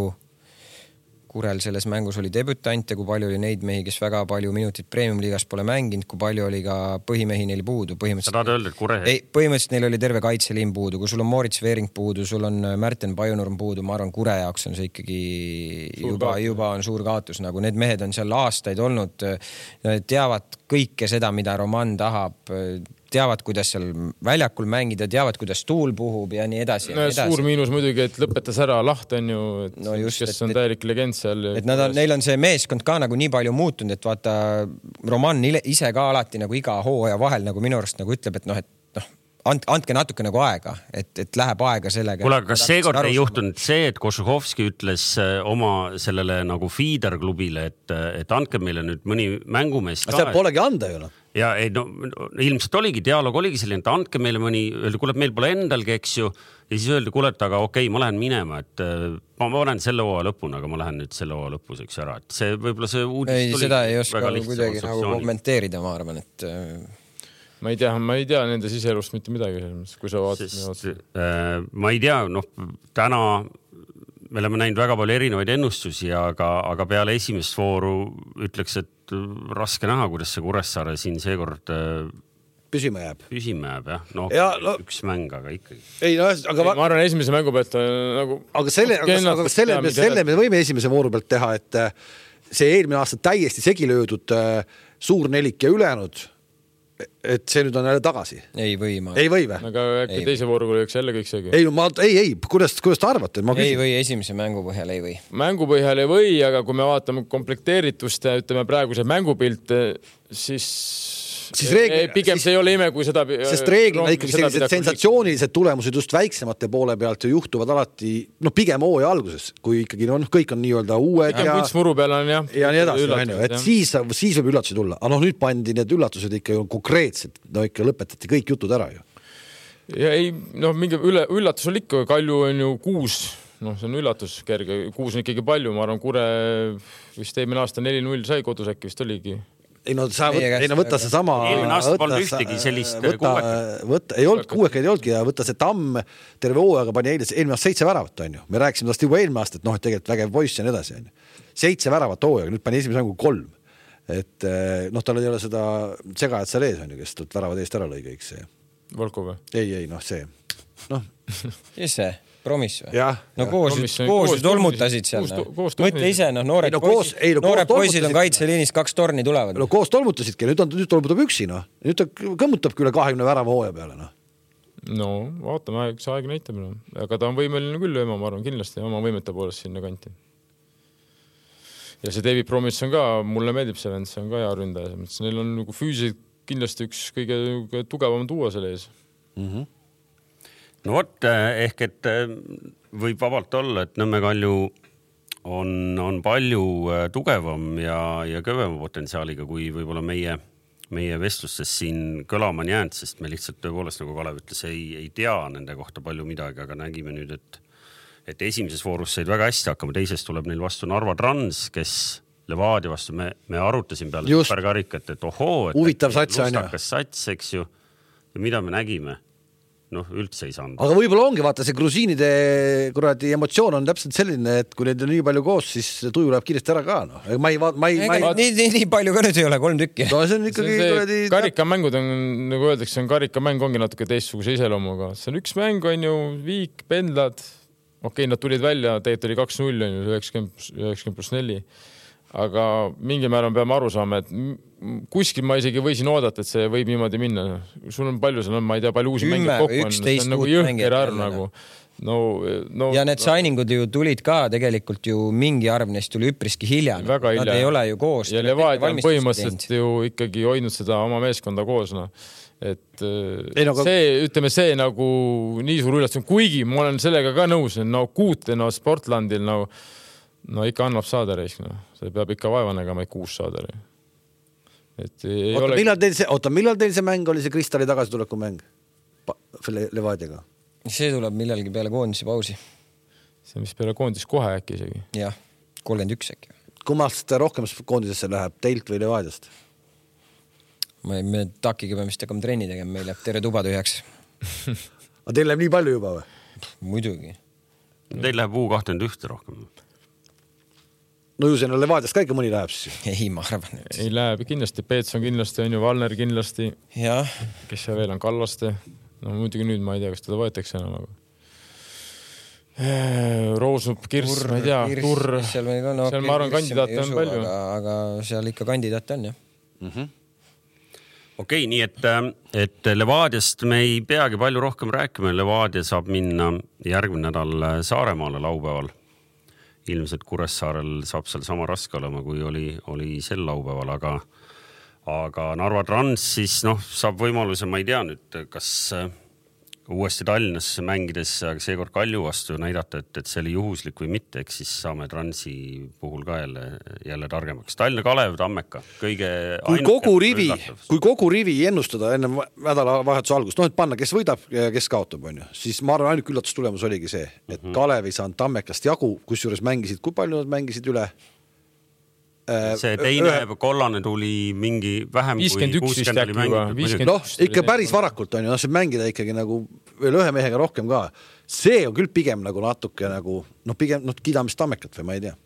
Kurel selles mängus oli debütante, kui palju oli neid mehi, kes väga palju minutit Premium-liigas pole mänginud, kui palju oli ka põhimehi neil puudu. Sa tahad öelda, et Kure... Ei, põhimõtteliselt neil oli terve kaitseliin puudu. Kui sul on Moritz Veering puudu, sul on Märten Pajunurm puudu, ma arvan, Kure jaoks on see ikkagi juba, juba on suur kaotus. Nagu need mehed on seal aastaid olnud, teavad kõike seda, mida Roman tahab, teavad, kuidas seal väljakul mängida, teavad, kuidas tuul puhub ja nii edasi. No, edasi. Suur miinus muidugi, et lõpetas ära Laht on ju, et, no just, kes et, on täielik legend seal. Et nad on, neil on see meeskond ka nagu nii palju muutunud, et vaata, Roman ise ka alati nagu iga hooaja vahel nagu minu arust nagu ütleb, et noh, et noh, andke natuke nagu aega, et, et läheb aega sellega. Kuule, kas seekord ei juhtunud see, et Košuhovski ütles oma sellele nagu feeder-klubile, et, et andke meile nüüd mõni mängumees ka. Seda polegi anda ju. Ja ei, no, ilmselt oligi, dialoog oligi selline, et andke meile mõni, öeldi, kuule, meil pole endalgi, eks ju, ja siis öeldi, kuule, et aga okei, ma lähen minema, et ma olen selle hooaja lõpuna, aga ma lähen nüüd selle hooaja lõpuseks ära. Et see võib-olla see uudis ei, seda ei oska kuidagi nagu kommenteerida, ma arvan, et ma ei tea, ma ei tea nende siseelust mitte midagi, kui sa vaatad. Sest, äh, ma ei tea, noh, täna me oleme näinud väga palju erinevaid ennustusi, aga, aga peale esimest vooru ütleks, et raske näha, kuidas see Kuressaare siin seekord püsima jääb. Püsima jääb, jah. No, ja, no üks mäng, aga ikkagi. Ei, no, aga ma arvan, esimese mängu pealt nagu... Aga selle, aga, aga selle, me, selle me võime esimese vooru pealt teha, et see eelmine aasta täiesti segi löödud suur nelik ja ülejäänud, et see nüüd on jälle tagasi. Ei või, ma... Ei või või? Aga äkki teise vooru kui üks jälle kõik segi. Ei, ma, ei, ei, kuidas, kuidas te arvate? Ma ei või, esimese mängu põhjal ei või. Mängu põhjal ei või, aga kui me vaatame komplekteeritust ja ütleme praeguse mängupilt, siis... Siis reegli, pigem siis, see ei ole ime, kui seda... Sest reeglina ikkagi sellised sensatsioonilised tulemused just väiksemate poole pealt ju juhtuvad alati, no pigem hooaja alguses, kui ikkagi no, kõik on nii-öelda uued pigem ja... kunstmuru peal on jah. Ja nii edasi, üllatused, et jah. siis, siis võib üllatusi tulla. Aga noh, nüüd pandi need üllatused ikka ju konkreetselt, no ikka lõpetati kõik jutud ära ju. Ja ei, noh, mingi üle, üllatus on ikka, Kalju on ju kuus, noh, see on üllatus kerge, kuus on ikkagi palju, ma arvan, Kure vist eelmine aasta neli null sai kodus äkki vist oligi. Ei no, sa võtta, ei no võtta see sama... Eelmine aasta polnud ühtegi sellist kuuekat. Võtta, ei olnud kuuekat, ei olnudki ja võtta see Tamm terve hooaega pani eile, eelmine aasta seitse väravat on ju. Me rääkisime tast juba eelmine aasta, et noh, et tegelikult vägev poiss ja nii edasi on ju. Seitse väravat hooaega, nüüd pani esimese mängu kolm. Et noh, tal ei ole seda segajad seal ees on ju, kes tult väravad eest ära lõi kõik see. Volko või? Ei, ei, noh see. Noh. Kes see? Promiss või? Ja, no koos, koos ju tolmutasid seal. Mõtle ise, noh, noored no, koos, poisid, ei, no, noored poisid on kaitseliinis, kaks torni tulevad. No koos tolmutasidki, nüüd, on, nüüd tolmutab üksi, noh. Nüüd ta kõmmutabki üle kahekümne värava hooaja peale, noh. No, vaatame, see aeg näitab. No. Aga ta on võimeline küll lööma, ma arvan, kindlasti oma võimete poolest sinna kanti. Ja see David Promiss on ka, mulle meeldib see vend, see on ka hea ründaja. Neil on nagu füüsiliselt kindlasti üks kõige tugevam tuua selle ees. Mhm. No vot, ehk et võib vabalt olla, et Nõmme Kalju on, on palju tugevam ja, ja kõvema potentsiaaliga, kui võib-olla meie, meie vestlustes siin kõlama on jäänud, sest me lihtsalt tõepoolest, nagu Kalev ütles, ei, ei tea nende kohta palju midagi, aga nägime nüüd, et, et esimeses voorus said väga hästi hakkama, teises tuleb neil vastu Narva Trans, kes Levadia vastu, me, me arutasin peale superkarikat, et ohoo, et huvitav sats on ju. Sats, eks ju, ja mida me nägime? Noh, üldse ei saanud. Aga võib-olla ongi, vaata, see grusiinide kuradi emotsioon on täpselt selline, et kui neid on nii palju koos, siis tuju läheb kiiresti ära ka. No. Ma ei vaat, ma ei, ma ei... Nii, nii, nii palju ka nüüd ei ole, kolm tükki. No, see on ikkagi... See kuradi... Karikamängud on, nagu öeldakse, on karikamäng ongi natuke teistsuguse iseloomuga. See on üks mäng, on ju, viik, pendlad. Okei, nad tulid välja, tegelikult oli kaks null, on ju, üheksakümmend pluss neli. Aga mingi määral peame aru saama, et kuskil ma isegi võisin oodata, et see võib niimoodi minna. Sul on palju, sul on, ma ei tea, palju uusi mängid kokku on. See on nagu jõhker arv nagu. No, no, ja need signingud ju tulid ka tegelikult ju mingi arv neist tuli üpriski hilja. Väga hilja. Nad ei ole ju koos. Ja Levadia on põhimõtteliselt ju ikkagi hoidnud seda oma meeskonda koos. No. Et ei, no, see, ütleme see nagu nii suur üllatus, kuigi ma olen sellega ka nõus, no kuute no, Sportlandil no, no ikka annab saada reis, no. See peab ikka vaeva nägema, et kuus saada. Et ei oota, ole... millal teil see, oota, millal teil see mäng oli, see Kristali tagasituleku mäng Le Levadiaga? See tuleb millalgi peale koondise pausi. See on vist peale koondis kohe äkki isegi. Jah, kolmkümmend üks äkki. Kummast rohkem koondisesse läheb, teilt või Levadiast? Me, me takiga peame vist hakkama trenni tegema, meil läheb terve tuba tühjaks. Aga teil läheb nii palju juba või? Muidugi. Teil läheb U kakskümmend üks rohkem. No ju sinna Levadiast ka ikka mõni läheb siis. Ei, ma arvan. Et... Ei läheb kindlasti, Peetson kindlasti on ju, Valner kindlasti. Ja. Kes see veel on, Kallaste. No muidugi nüüd ma ei tea, kas teda võetakse enam. Aga... Roosnup, Kirs, Turr, ma ei tea, Kirs, Turr. Seal, ka, no, seal ma arvan, kandidaate on palju. Aga, aga seal ikka kandidaate on, jah. Mm-hmm. Okei, nii et, et Levadiast me ei peagi palju rohkem rääkima. Levadia saab minna järgmine nädal Saaremaale laupäeval. Ilmselt Kuressaarel saab seal sama raske olema, kui oli, oli sel laupäeval, aga, aga Narva Trans siis noh, saab võimaluse, ma ei tea nüüd, kas uuesti Tallinnas mängides seekord Kalju vastu näidata, et, et see oli juhuslik või mitte, eks siis saame Transi puhul ka jälle, jälle targemaks. Tallinna Kalev, Tammeka, kõige kui kogu, rivi, kui kogu rivi ennustada enne nädala vahetuse algust, noh, et panna, kes võidab ja kes kaotab, on ju, siis ma arvan, ainult üllatustulemus oligi see, et mm-hmm. Kalev ei saanud Tammekast jagu, kus juures mängisid, kui palju nad mängisid üle? see teine ühe... kollane tuli mingi vähem viiskümmend üks kui kuuskümmend oli mängitud. Noh, ikka päris varakult on ju, noh, see mängida ikkagi nagu veel ühe mehega rohkem ka. See on küll pigem nagu natuke nagu, noh, pigem noh, kiidamist Tammekat või ma ei tea.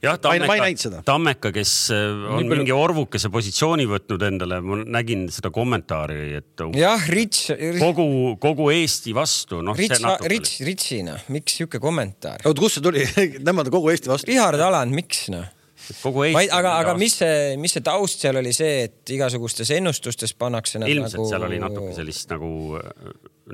Jah, Tammeka, Tammeka, kes on Nii mingi orvukese positsiooni võtnud endale, ma nägin seda kommentaari, et jah, Rits, kogu, kogu Eesti vastu. No, Rits, Rits, Ritsina, miks siuke kommentaar? Oot, kus see tuli? Nemad kogu Eesti vastu. Richard Aland, miks no? Kogu Eesti aga aga mis see, mis see taust seal oli see, et igasugustes ennustustes pannakse ilmselt nagu... seal oli natuke sellist nagu,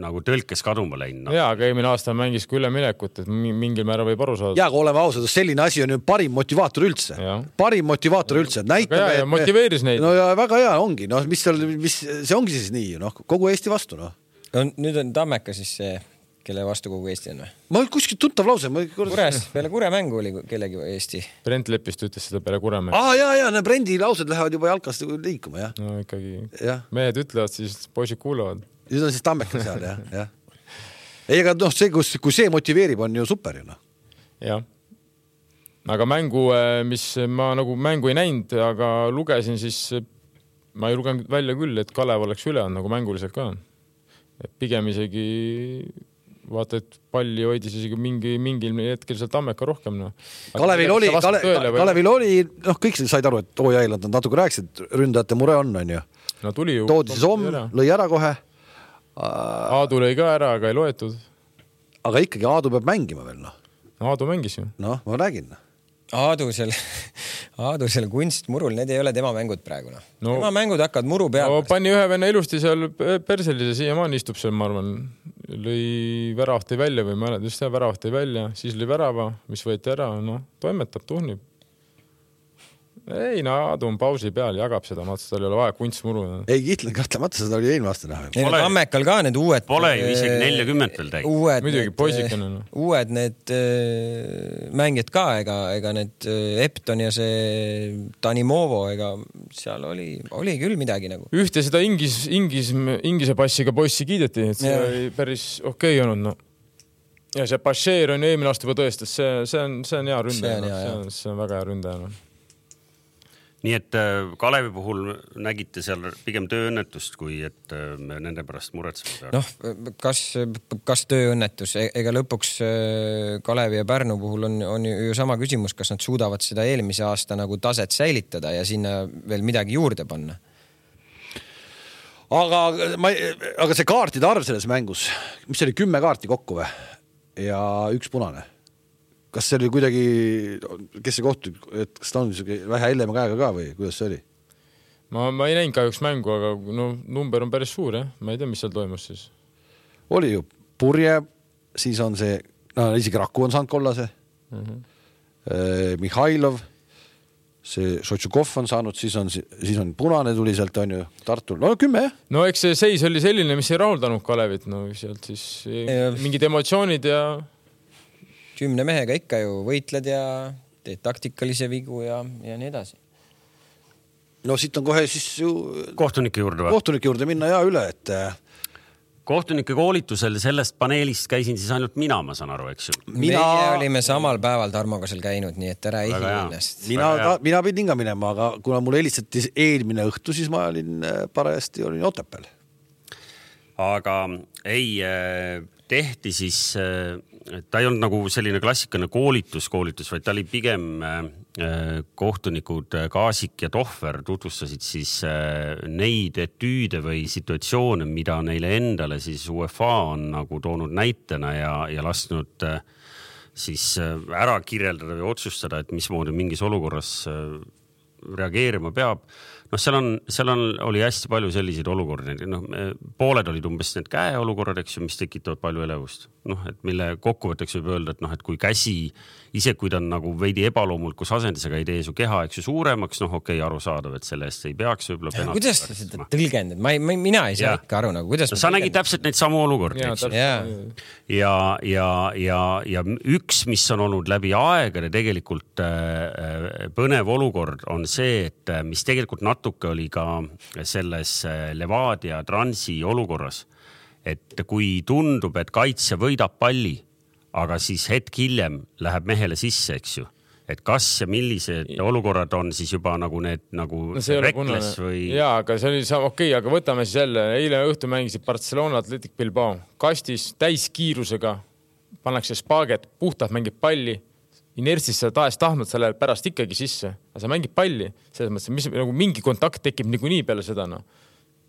nagu tõlkes kaduma läinud. No. Jaa, aga eelmine aasta mängis ka üleminekut, et mingil määra võib aru saada. Jaa, aga oleme ausad, selline asi on ju parim motivaator üldse. Ja. Parim motivaator üldse. Näitame, ja, ja motiveeris neid. No ja väga hea ongi. No, mis seal, mis, see ongi siis nii, no, kogu Eesti vastu. No. No, nüüd on Tammeka siis see, kelle vastu kogu Eesti on või? Ma kuskil tuntav lause. Ma... Kures, peale Kure mängu oli kellegi Eesti. Brent Lepist ütles seda peale Kure mängu. Aa, jaa, jaa, Brendi laused lähevad juba jalkast liikuma, jah. No ikkagi. Ja. Mehed ütlevad, siis poisid kuulavad. Siis on siis Tammeka seal, jah. Ja. Ei, aga noh, see, kus, kui see motiveerib, on ju super, ju noh. Jah. Aga mängu, mis ma nagu mängu ei näinud, aga lugesin, siis ma ei lugenud välja küll, et Kalev oleks üle on, nagu mänguliselt ka on. Pigem isegi vaata, et palli hoidis isegi mingi, mingil hetkel seal Tammeka rohkem. No. Kalevil oli, Kale, Kalevil oli, noh, kõik said aru, et oo jäi, nad natuke rääkisid, ründajate mure on, on ju. No tuli ju. Toodi siis om, lõi ära kohe. Aadu lõi ka ära, aga ei loetud. Aga ikkagi Aadu peab mängima veel, noh. Aadu mängis ju. Noh, ma räägin. Aadu seal, Aadu seal kunstmurul, need ei ole tema mängud praegu. No. No, tema mängud hakkavad muru peal. No, pani ühe venna ilusti seal perselise, siiamaani istub seal, ma arvan. Lõi väravahti välja või ma olen, just see väravahti välja, siis lõi värava, mis võeti ära, no toimetab, tuhnib. Ei, no Aadu on pausi peal, jagab seda, ma tal ei ole vaja kunstmuru. Ei, Kitlen kahtemata, seda oli eelmine aasta näha. Pole, Tammekal ka need uued... Pole ju isegi neljakümmet veel täi. Muidugi, poisikene. No. Uued need äh, mängijad ka, ega, ega need äh, Epton ja see Tanimovo, ega seal oli, oli küll midagi nagu. Ühte seda ingis, ingis, ingise passiga poissi kiideti, et see ja. Oli päris okei okay olnud, no. Ja see Bashir on eelmine aasta juba tõestas, see, see, on, see on hea ründaja, see on, hea, see on, see on väga hea ründaja, no. Nii et Kalevi puhul nägite seal pigem tööõnnetust, kui et me nende pärast muretseme. Noh, kas, kas tööõnnetus, ega lõpuks Kalevi ja Pärnu puhul on, on ju sama küsimus, kas nad suudavad seda eelmise aasta nagu taset säilitada ja sinna veel midagi juurde panna? Aga, ma, aga see kaartide arv selles mängus, mis oli kümme kaarti kokku või? Ja üks punane. Kas see oli kuidagi, kes see kohtu, et kas ta on vähe hellema käega ka või kuidas see oli? Ma, ma ei näinud kahjuks mängu, aga no, number on päris suur, jah? Ma ei tea, mis seal toimus siis. Oli ju Purje, siis on see, no isegi Raku on saanud kollase, uh-huh. eh, Mihhailov, see Šotšukov on saanud, siis on, siis on punane tuli sealt, on ju Tartul, no kümme, jah? No eks see seis oli selline, mis ei rahuldanud Kalevit, no sealt siis ja... mingid emotsioonid ja... Kümne mehega ikka ju võitled ja teed taktikalise vigu ja, ja nii edasi. No siit on kohe siis ju... Kohtunike juurde või? Kohtunike juurde minna ja üle, et... Kohtunike koolitusel sellest paneelist käisin siis ainult mina, ma saan aru, eks ju. Mina... Meie olime samal päeval Tarmoga seal käinud, nii et ära ei hiinast. Mina, mina pidin ka minema, aga kuna mul helistati eelmine õhtu, siis ma olin parajasti olin Otepääl. Aga ei, tehti siis... Ta ei olnud nagu selline klassikaline koolitus, koolitus, vaid ta oli pigem kohtunikud Kaasik ja Tohver tutvustasid siis neid etüüde või situatsioone, mida neile endale siis U E F A on nagu toonud näitena ja, ja lasknud siis ära kirjeldada või otsustada, et mismoodi mingis olukorras reageerima peab. Noh, seal on, seal on, oli hästi palju selliseid olukordi. Noh, pooled olid umbes need käeolukorrad, eks ju, mis tekitavad palju elevust. Noh, et mille kokkuvõtteks võib öelda, et noh, et kui käsi, ise kui ta on nagu veidi ebaloomulikus asendisega ei tee su keha, eks ju, suuremaks, noh, okei, aru saadav, et selle eest ei peaks võib-olla penalt. Kuidas sa seda tõlgendad? Ma, ma, mina ei saa ja. Ikka aru, nagu kuidas... No, sa nägid täpselt neid samu olukordi, eks ju. Ja, ja, ja, ja, ja üks, mis on olnud läbi aegade tegelikult äh, põnev olukord on see, et mis tegelikult natuke oli ka selles Levadia Transi olukorras, et kui tundub, et kaitsja võidab palli, aga siis hetk hiljem läheb mehele sisse, eks ju. et kas ja millised olukorrad on siis juba nagu need nagu no rekles või... Jaa, aga see oli okei, okay, aga võtame siis jälle. Eile õhtu mängisid Barcelona Athletic Bilbao. Kastis täiskiirusega pannakse spaaget, puhtalt mängib palli. Inertsis sa tahes tahtnud selle pärast ikkagi sisse. Aga sa mängib palli. Selles mõttes, mis, nagu mingi kontakt tekib niikuinii peale seda. No.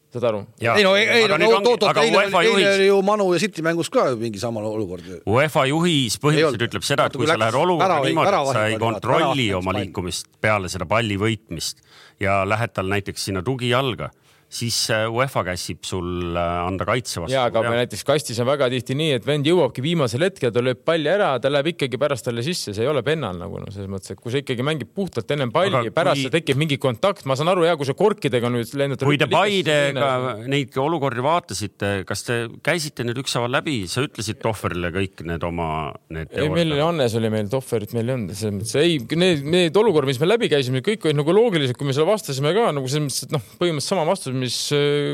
Saad aru? Ei no, ei, no, no toot, toot, eile, eile oli ju Manu ja City mängus ka mingi sama olukord. UEFA juhis põhimõtteliselt ütleb seda, et kui sa lähed olukorda niimoodi, et sa ei kontrolli oma liikumist peale seda palli võitmist ja lähed tal näiteks sinna tugijalga, siis UEFA käsib sul anda kaitse vastu. Jaa, aga ja. Näiteks kastis on väga tihti nii, et vend jõuabki viimasel hetkel, ta lööb palli ära, ta läheb ikkagi pärast talle sisse, see ei ole pennal nagu, no, selles mõttes, et kui sa ikkagi mängib puhtalt ennem palli aga ja pärast kui... tekib mingi kontakt, ma saan aru, jah, kui see korkidega nüüd lendad... Kui te Paidega neid olukordi vaatasite, kas te käisite nüüd üksaval läbi, sa ütlesid Tohverile kõik need oma... Need ei, meil Annes oli meil, Tohverit meil ei olnud, selles mõttes, ei, need, need olukordi, mis me läbi käisime, kõik olid nagu loogilised, kui me selle vastasime ka, nagu selles mõttes, et noh, põhimõtteliselt sama vastus, mis,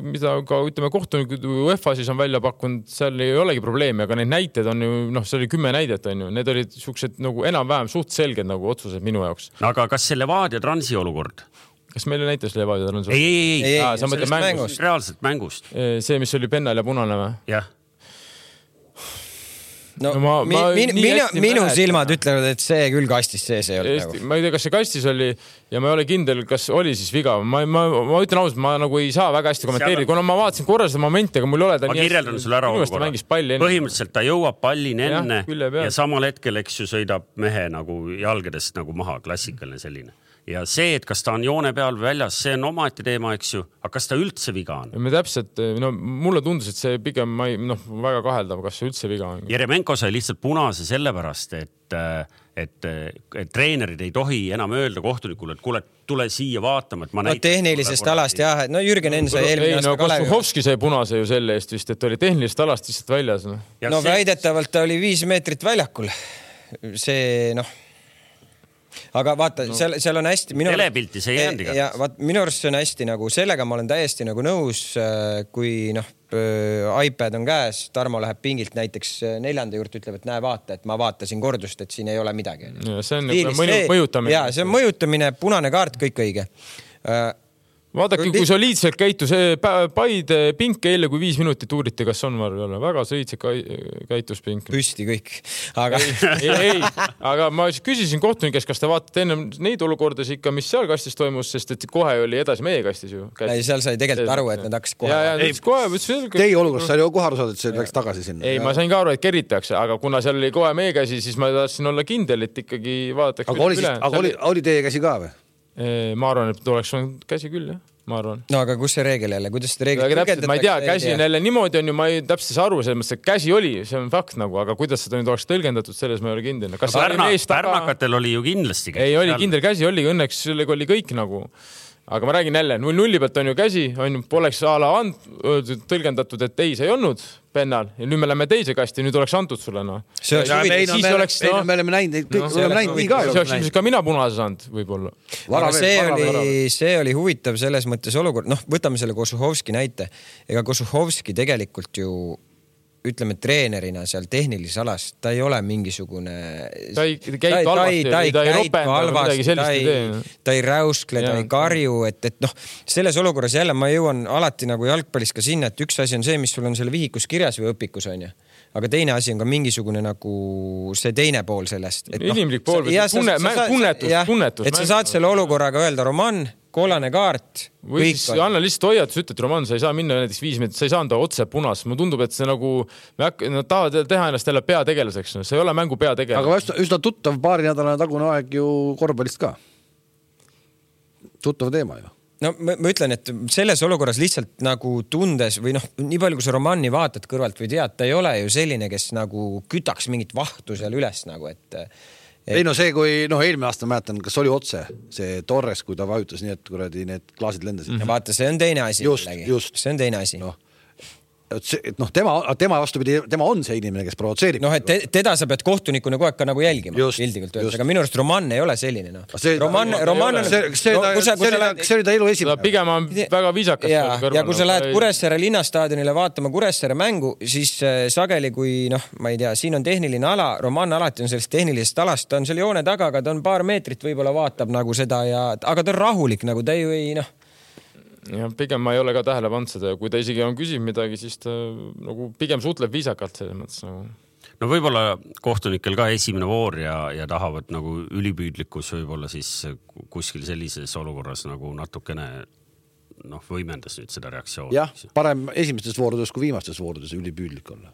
mida ka ütleme kohtunikud UEFA siis on välja pakkunud, seal ei olegi probleemi, aga need näited on ju, noh, see oli kümme näidet on ju, need olid suksed nagu enam-vähem suht selged nagu otsused minu jaoks. Aga kas see Levadia Transi olukord? Kas meil näitas Levadia Transi? Ei, ei, ei, ei, ah, sellest mängust. mängust. Reaalselt mängust. See, mis oli pennal ja punane või? Jah. No, no ma, ma min, minu, minu silmad ütlevad, et see küll kastis sees ei olnud. Nagu. Ma ei tea, kas see kastis oli ja ma ei ole kindel, kas oli siis viga. Ma, ma, ma ütlen ausalt, ma nagu ei saa väga hästi kommenteerida, kuna ma vaatasin korra seda momenti, aga mul ei ole ta ma nii kirjeldan sulle ära olukorra. Põhimõtteliselt ta jõuab pallin enne ja, ja samal hetkel, eks ju, sõidab mehe nagu jalgadest nagu maha, klassikaline selline. Ja see, et kas ta on joone peal või väljas, see on omaette teema, eks ju, aga kas ta üldse viga on? Me täpselt, no mulle tundus, et see pigem ma ei, noh, väga kaheldav, kas see üldse viga on. Jeremenko sai lihtsalt punase sellepärast, et, et, et treenerid ei tohi enam öelda kohtunikule, et kuule, tule siia vaatama, et ma no, näitan. Tehnilisest alast jah, no Jürgen Enn sai eelmine aasta no, Kalevi. Kostuhovski sai punase ju selle eest vist, et oli tehnilisest alast lihtsalt väljas. No, no see... väidetavalt ta oli viis meetrit väljakul. See, noh, aga vaata, no, seal, seal on hästi minu telepilti see ei jäänud ja vaat minu arust see on hästi nagu sellega ma olen täiesti nagu nõus, kui noh iPad on käes, Tarmo läheb pingilt näiteks neljanda juurde, ütleb, et näe vaata, et ma vaatasin kordust, et siin ei ole midagi. Ja see on Stiilis, mõju, mõjutamine. Ja see on mõjutamine, punane kaart, kõik õige. Vaadake, kui soliidselt käitus Paide pink eile, kui viis minutit uuriti, kas on var või ole. Väga soliidselt käitus pink. Püsti kõik. Aga... ei, ei, aga ma küsisin kohtunikest, kas te vaatate ennem neid olukordas ikka, mis seal kastis toimus, sest et kohe oli edasi meie kastis ju. Ei, seal sai tegelikult aru, et nad hakkasid kohe. Ja, ja, ei, kohe teie olukorras sai ju kohe aru saada, et see läks tagasi sinna. Ei, ma sain ka aru, et keritakse, aga kuna seal oli kohe meie käsi, siis ma tahtsin olla kindel, et ikkagi vaadatakse. Aga oli, siis, aga oli, oli teie käsi ka või? Ma arvan, et oleks olnud käsi küll, jah. Ma arvan. No aga kus see reegel jälle? Kuidas seda reegel tõlgendatakse? Ma ei tea, käsi on jälle niimoodi on ju, ma ei täpselt saa aru, selles mõttes, et käsi oli, see on fakt nagu, aga kuidas seda nüüd oleks tõlgendatud, selles ma ei ole kindel. Kas Pärna, Pärnakatel oli ju kindlasti käsi? Ei, oli kindel käsi, oli õnneks, sellega oli kõik nagu... Aga ma räägin jälle, null nulli pealt on ju käsi, on ju, poleks ala and, tõlgendatud, et ei, see ei olnud pennal. Ja nüüd me läheme teise kasti, nüüd oleks antud sulle. No. See oleks huvitav. Siis me, oleks, no, me oleme näinud, kõik no, oleme näinud nii ka. See oleks ka mina punase saanud võib-olla. Aga see oli, see oli huvitav selles mõttes olukord. Noh, võtame selle Kosuhovski näite. Ega Kosuhovski tegelikult ju ütleme treenerina seal tehnilises alas, ta ei ole mingisugune ta ei käitu halvasti, ta ei, ta ei ropenda midagi sellist ei tee. Ta ei räuskle, ta ei karju, et, et noh, selles olukorras jälle ma jõuan alati nagu jalgpallis ka sinna, et üks asi on see, mis sul on selle vihikus kirjas või õpikus on ju. Aga teine asi on ka mingisugune nagu see teine pool sellest. Et inimlik pool, ja, tunne, sa, sa, tunnetus, ja, tunnetus. Et sa saad selle olukorraga öelda, Roman, kollane kaart. Või siis on. Anna lihtsalt hoiatus, ütled, Roman, sa ei saa minna näiteks viis meetrit, sa ei saa anda otse punas. Mulle tundub, et see nagu, me hakka, nad tahavad teha ennast jälle peategelaseks. See ei ole mängu peategelas. Aga üsna, üsna tuttav paari nädalane tagune aeg ju korvpallist ka. Tuttav teema ju. No ma, ma ütlen, et selles olukorras lihtsalt nagu tundes või noh, nii palju kui sa Romani vaatad kõrvalt või tead, ta ei ole ju selline, kes nagu kütaks mingit vahtu seal üles nagu, et ei no see, kui noh, eelmine aasta mäletan, kas oli otse see Torres, kui ta vajutas nii, et kuradi need klaasid lendasid. Ja vaata, see on teine asi. Just, just. See on teine asi. No. et noh, tema, tema vastupidi, tema on see inimene, kes provotseerib. noh, et te, teda sa pead kohtunikuna kogu aeg ka nagu jälgima. Pildikult öeldes, aga minu arust Roman ei ole selline. No. See, Roman, Roman on... See, see, no, see, see, lähed... see oli ta elu esimene. Pigem on väga viisakas. Ja, ja kui sa lähed Kuressaare linnastaadionile vaatama Kuressaare mängu, siis sageli, kui noh, ma ei tea, siin on tehniline ala, Roman alati on sellest tehnilisest alast, ta on seal joone taga, aga ta on paar meetrit võib-olla vaatab nagu seda ja, aga ta on rahulik, nagu ta ju ei noh. Ja pigem ma ei ole ka tähele pannud seda ja kui ta isegi on küsib midagi, siis ta nagu pigem suhtleb viisakalt selles mõttes nagu. No võib-olla kohtunikel ka esimene voor ja, ja tahavad nagu ülipüüdlikkus võib-olla siis kuskil sellises olukorras nagu natukene noh, võimendas nüüd seda reaktsiooni. Jah, parem esimestes voorudes kui viimastes voorudes ülipüüdlik olla.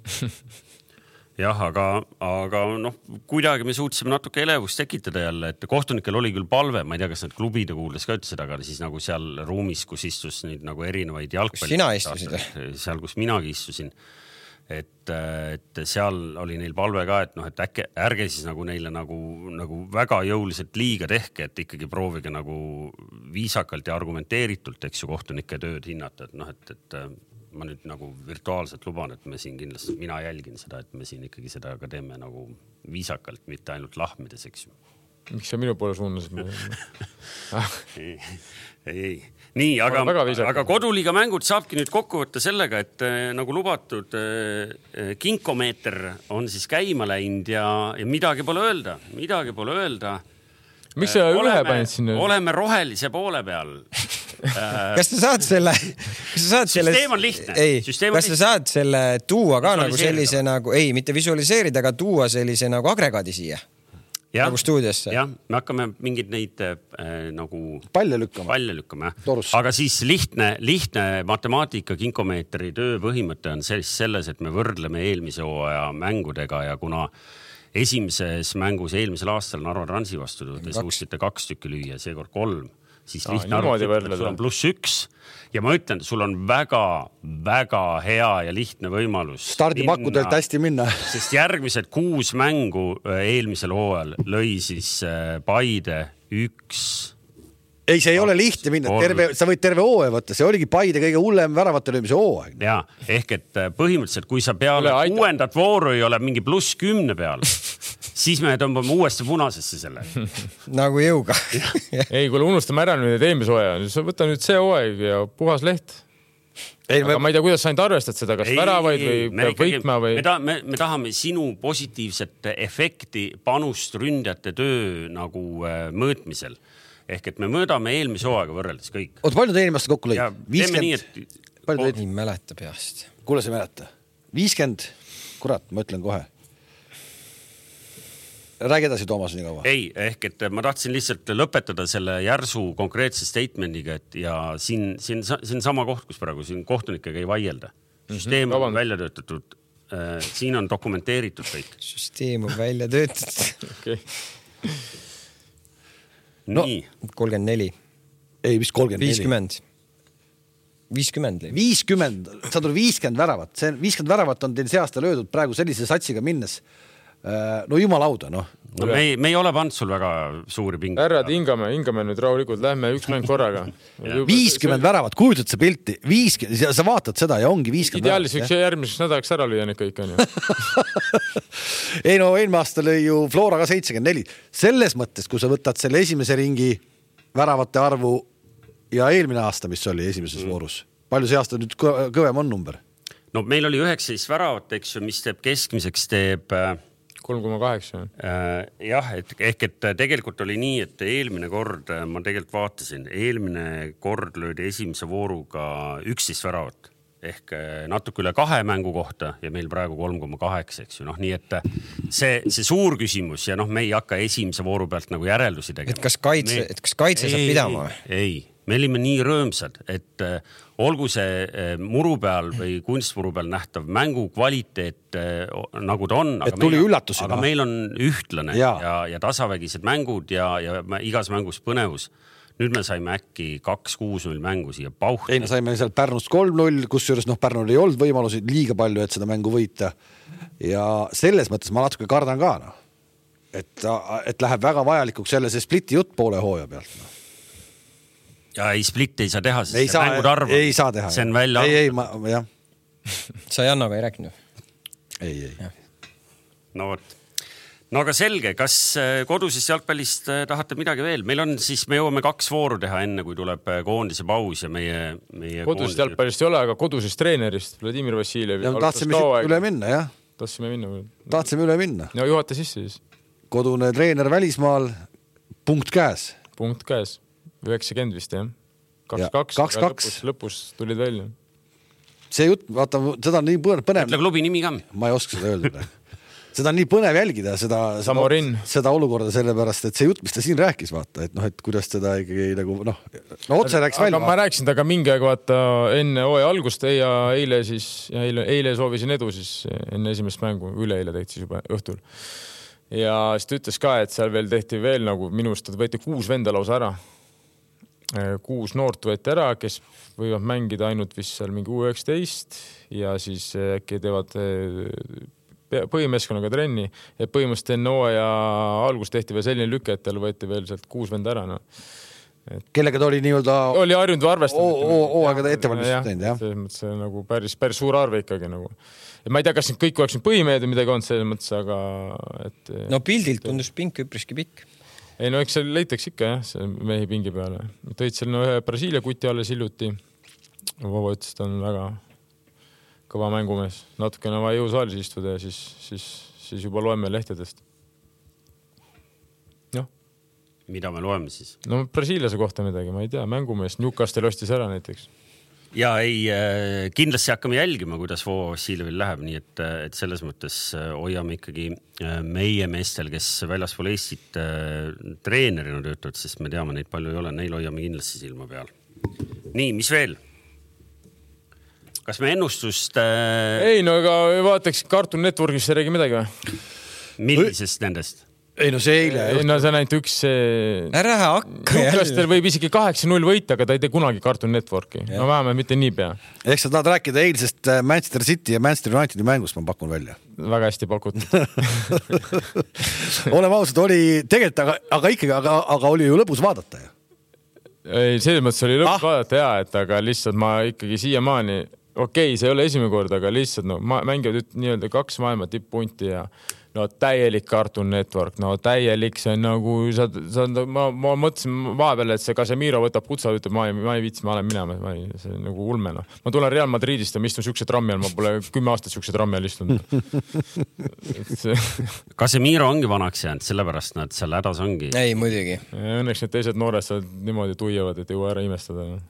Jah, aga, aga noh, kuidagi me suutsime natuke elevust tekitada jälle, et kohtunikel oli küll palve, ma ei tea, kas need klubide kuuldes ka ütlesid, aga siis nagu seal ruumis, kus istus nüüd nagu erinevaid jalgpalli. Sina istusid? Seal, kus minagi istusin. Et, et seal oli neil palve ka, et noh, et äkki, ärge siis nagu neile nagu, nagu väga jõuliselt liiga tehke, et ikkagi proovige nagu viisakalt ja argumenteeritult, eks ju, kohtunike tööd hinnata, et noh, et, et ma nüüd nagu virtuaalselt luban, et me siin kindlasti, mina jälgin seda, et me siin ikkagi seda ka teeme nagu viisakalt, mitte ainult lahmides, eks ju. Miks sa minu poole suunasid? ei, ei. Nii, aga, aga koduliiga mängud saabki nüüd kokku võtta sellega, et äh, nagu lubatud äh, kinkomeeter on siis käima läinud ja, ja midagi pole öelda, midagi pole öelda. Miks sa ühe panid sinna? Oleme rohelise poole peal. Kas sa saad selle... Kas sa saad selle süsteem on lihtne. Ei, süsteem kas sa saad selle tuua ka nagu sellise nagu... Ei, mitte visualiseerida, aga tuua sellise nagu agregaadi siia? Ja, nagu stuudiosse? Jah, me hakkame mingid neid äh, nagu... Palle lükkama. Palle lükkama, jah. Aga siis lihtne, lihtne matemaatika kinkomeetri töö põhimõte on selles, et me võrdleme eelmise hooaja mängudega ja kuna esimeses mängus eelmisel aastal Narva Transi vastu te suutsite kaks tükki lüüa, seekord kolm, siis Aa, lihtne arvutada, et sul on pluss üks ja ma ütlen, sul on väga, väga hea ja lihtne võimalus stardipakkudelt hästi minna. Sest järgmised kuus mängu eelmisel hooajal lõi siis Paide üks. Ei, see ei ole lihtne minna, terve, sa võid terve hooaja võtta, see oligi Paide kõige hullem väravate löömise hooaeg. Ja, ehk et põhimõtteliselt, kui sa peale uuendat vooru ei ole mingi pluss kümne peal, siis me tõmbame uuesti punasesse selle. Nagu jõuga. Ei, kui unustame ära nüüd eelmise hooaja, siis võta nüüd see hooaeg ja puhas leht. Ei, aga me... ma ei tea, kuidas sa ainult arvestad seda, kas ei, väravaid või peab võitma või... Me, ta, me, me tahame sinu positiivset efekti panust ründjate töö nagu äh, mõõtmisel. Ehk et me mõõdame eelmise hooaega võrreldes kõik. Oot, palju te eelmast kokku lõid? viiskümmend Nii, et... Palju te... Nii mäleta peast. Kuule, sa mäleta? viiskümmend Kurat, ma ütlen kohe. Räägi edasi, Toomas, nii kaua. Ei, ehk et ma tahtsin lihtsalt lõpetada selle järsu konkreetse statemendiga, et ja siin, siin, siin sama koht, kus praegu siin kohtunikega ei vaielda. Süsteem mm-hmm. on välja töötatud. Äh, siin on dokumenteeritud kõik. Süsteem on välja töötatud. Okei. No, kolmkümmend neli. Ei, mis kolmkümmend neli? viiskümmend. viiskümmend. viiskümmend. Sa tuli viiskümmend väravat. See viiskümmend väravat on teil see aasta löödud praegu sellise satsiga minnes. No jumalauda, noh. No, me, ei, me ei ole pannud sul väga suuri pingi. Härrad, hingame, hingame nüüd rahulikult. Lähme üks mäng korraga. viiskümmend väravat, kujutad sa pilti. viiskümmend, sa vaatad seda ja ongi viiskümmend Ideaalis võiks järgmiseks nädalaks ära lüüa need kõik on ju. Ei no, eelmine aasta lõi ju Flora ka seitsekümmend neli. Selles mõttes, kui sa võtad selle esimese ringi väravate arvu ja eelmine aasta, mis oli esimeses mm. voorus. Palju see aasta nüüd kõvem on number? No meil oli üheksateist väravat, eks ju, mis teeb keskmiseks teeb... kolm koma kaheksa. Jah, et, ehk et tegelikult oli nii, et eelmine kord, ma tegelikult vaatasin, eelmine kord löödi esimese vooruga üksteist väravat. Ehk natuke üle kahe mängu kohta ja meil praegu kolm koma kaheksa, eks ju. Noh, nii et see, see suur küsimus ja noh, me ei hakka esimese vooru pealt nagu järeldusi tegema. Et kas kaitse, me... et kas kaitse ei, saab pidama? Ei, ei. Me olime nii rõõmsad, et äh, olgu see äh, muru peal või kunstmuru peal nähtav mängu kvaliteet äh, nagu ta on. Et tuli üllatusena. Aga meil on ühtlane ja, ja, ja tasavägised mängud ja, ja igas mängus põnevus. Nüüd me saime äkki kaks kuus null mängu siia pauhti. Ei, me saime seal Pärnust kolm null, kus juures noh, Pärnul ei olnud võimalusi liiga palju, et seda mängu võita. Ja selles mõttes ma natuke kardan ka, no. et, et läheb väga vajalikuks jälle see spliti jutt poole hooja pealt. No. Ja ei, split ei saa teha, sest ei see saa, mängud arv. Ei saa teha. See on välja ei, ei, ma, jah. sa Jannaga ei rääkinud? Ei, ei. No võt. No aga selge, kas kodusest jalgpallist tahate midagi veel? Meil on siis, me jõuame kaks vooru teha enne, kui tuleb koondise paus ja meie, meie kodusest koondise... jalgpallist ei ole, aga kodusest treenerist Vladimir Vassiljev. Ja tahtsime üle minna, jah. Tahtsime minna. Tahtsime üle minna. No juhata sisse siis. Kodune treener välismaal, punkt käes. Punkt käes. üheksakümmend vist, jah. kaks kaks. kaks kaks. Lõpus, lõpus tulid välja. See jutt, vaata, seda on nii põnev. Ütle klubi nimi ka. Ma ei oska seda öelda. Seda on nii põnev jälgida, seda, seda, seda olukorda sellepärast, et see jutt, mis ta siin rääkis, vaata, et noh, et kuidas teda ikkagi nagu, noh, no otse rääks välja. Aga ma rääksin taga mingi aeg, vaata, enne hooaja algust ja eile siis, ja eile, eile soovisin edu siis enne esimest mängu, üle eile tehti siis juba õhtul. Ja siis ta ütles ka, et seal veel tehti veel nagu minust, et võeti kuus venda lausa ära. Kuus noort võeti ära, kes võivad mängida ainult vist seal mingi U üheksateist ja siis äkki teevad põhimeeskonnaga trenni, et põhimõtteliselt enne hooaja algust tehti veel selline lüke, et tal võeti veel sealt kuus venda ära. No. Et... Kellega ta oli nii-öelda... Oli harjunud või arvestanud. Hooaega ettevalmistust teinud, jah. Selles mõttes see nagu päris, päris suur arve ikkagi. Nagu. Et ma ei tea, kas kõik oleks põhimehed või midagi on selles mõttes, aga... Et... No pildilt tundus pink üpriski pikk. Ei, no eks seal leitaks ikka, jah, see mehi pingi peale. Tõid seal no, ühe Brasiilia kuti alles hiljuti. Vova ütles, ta on väga... kõva mängumees. Natukene vaja jõusaalis istuda ja siis, siis, siis juba loeme lehtedest. Noh. Mida me loeme siis? No Brasiiliase kohta midagi, ma ei tea. Mängumees Newcastle ostis ära näiteks. Ja ei, kindlasti hakkame jälgima, kuidas Voo Vassiljevil läheb, nii et, et selles mõttes hoiame ikkagi meie meestel, kes väljaspool Eestit treenerina töötavad, sest me teame, neid palju ei ole, neil hoiame kindlasti silma peal. Nii, mis veel? Kas me ennustust... Äh... Ei, no ega vaataks Cartoon Networkis see räägi midagi või? Millisest nendest? Ei, no see eile... Ei, no see on ainult üks... Ära hakka jälle. Newcastle võib isegi kaheksa null võita, aga ta ei tee kunagi Cartoon Networki. Ja. No vähemalt mitte nii pea. Ehk sa tahad rääkida eilsest Manchester City ja Manchester Unitedi mängust, ma pakun välja. Väga hästi pakutud. Oleme ausad, oli tegelikult, aga, aga ikkagi, aga, aga oli ju lõbus vaadata. Ei, selles mõttes oli lõbus ah. vaadata, jaa, et aga lihtsalt ma ikkagi siiamaani... Okei, okay, see ei ole esimene kord, aga lihtsalt no, mängivad nii-öelda kaks maailma tippunti ja no täielik Cartoon Network, no täielik, see on nagu, sa, sa, ma, ma mõtlesin vahepeal, et see Casemiro võtab kutsa, ütleb, ma ei, ma ei viitsi, ma olen minema, ma ei, see on nagu ulme, no. Ma tulen Real Madridist ja ma istun siukse trammi all, ma pole kümme aastat siukse trammi all istunud. See... Casemiro ongi vanaks jäänud, sellepärast nad seal hädas ongi. Ei, muidugi. Õnneks need teised noored seal niimoodi tuiavad, et ei jõua ära imestada. No.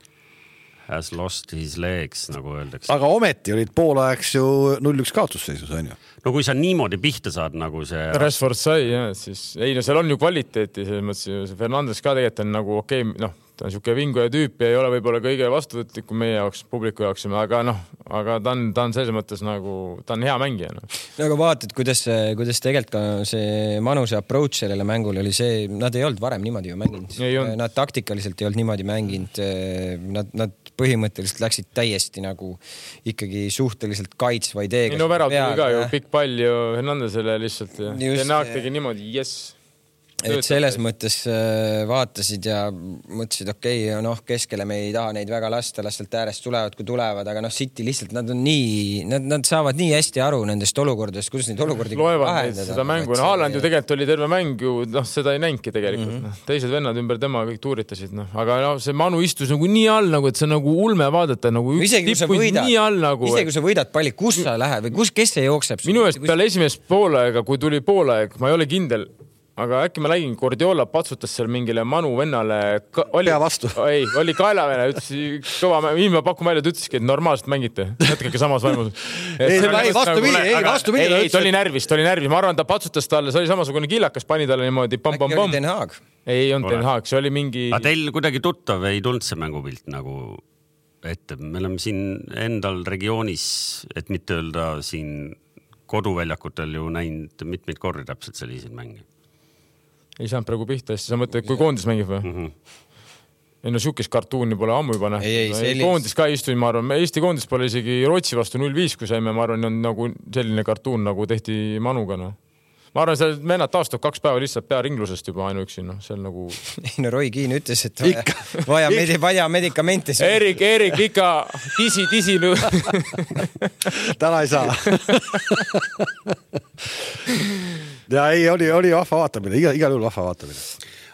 Has lost his legs, nagu öeldakse. Aga ometi olid poolajaks ju null üks kaotusseisus, on ju? No kui sa niimoodi pihta saad, nagu see... Rashford sai, jah, siis... Ei, no seal on ju kvaliteeti, selles mõttes Fernandes ka tegelikult on nagu okei, okay, noh, ta on siuke vingu ja tüüp ja ei ole võib-olla kõige vastuvõtlikum meie jaoks, publiku jaoks, aga noh, aga ta on, ta on selles mõttes nagu, ta on hea mängija. No, no aga vaatad, kuidas, kuidas tegelikult ka see Manuse approach sellele mängule oli see, nad ei olnud varem niimoodi ju mänginud. Nad taktikaliselt ei olnud niimoodi mänginud. Nad, nad põhimõtteliselt läksid täiesti nagu ikkagi suhteliselt kaitsva ideega. No värav tuli ka ju pikk pall ju Hernandesele lihtsalt ja Tenaak tegi niimoodi, yes. Et selles mõttes vaatasid ja mõtlesid, okei, okay, noh, keskele me ei taha neid väga lasta, lastelt äärest tulevad, kui tulevad, aga noh, City lihtsalt, nad on nii, nad, nad saavad nii hästi aru nendest olukordadest, kuidas neid olukordi loevad neid seda mängu. No, Haaland ju tegelikult oli terve mäng ju, noh, seda ei näinki tegelikult. Mm -hmm. Teised vennad ümber tema kõik tuuritasid, noh. Aga no, see Manu istus nagu nii all, nagu, et see nagu ulme vaadata, nagu üks tippuid nii all nagu. Isegi kui sa võidad palli, kus sa lähed või kus, kes see jookseb? Minu eest peale esimest poolaega, kui tuli poolaeg, ma ei ole kindel, aga äkki ma lägin, Guardiola patsutas seal mingile Manu vennale ka, oli, vastu. Ei, oli kaelavene, ütles kõva, ilma pakku välja, et ütleski, et normaalselt mängite. Jätkake samas vaimus. ei, ei, vastu midi, ei, vastu midi. Ei, ei, ta oli närvis, ta oli närvis. Ma arvan, ta patsutas talle, see oli samasugune killakas, pani talle niimoodi pam, pam, pam. Äkki oli Den Haag? Ei, on Den Haag, see oli mingi... Aga teil kuidagi tuttav ei tulnud see mängupilt nagu ette. Me oleme siin endal regioonis, et mitte öelda siin koduväljakutel ju näinud mitmeid korri täpselt selliseid mänge. Ei saanud praegu pihta, siis sa mõtled, kui koondis mängib või? Mm -hmm. Ei no siukest kartuuni pole ammu juba nähtud. Ei, ei, no, koondis ka istuin, ma arvan. Eesti koondis pole isegi Rootsi vastu null viis, kui saime, ma arvan, on nagu selline kartuun, nagu tehti Manuga. No. ma arvan, see vennad taastub kaks päeva lihtsalt pea ringlusest juba ainuüksi, noh, see on nagu... Ei no Roy Keane ütles, et vaja, vaja, medi, vaja medikamente. Erik, Erik, ikka tisi, tisi. Täna ei saa. Ja ei, oli, oli vahva vaatamine, igal, igal juhul vahva vaatamine.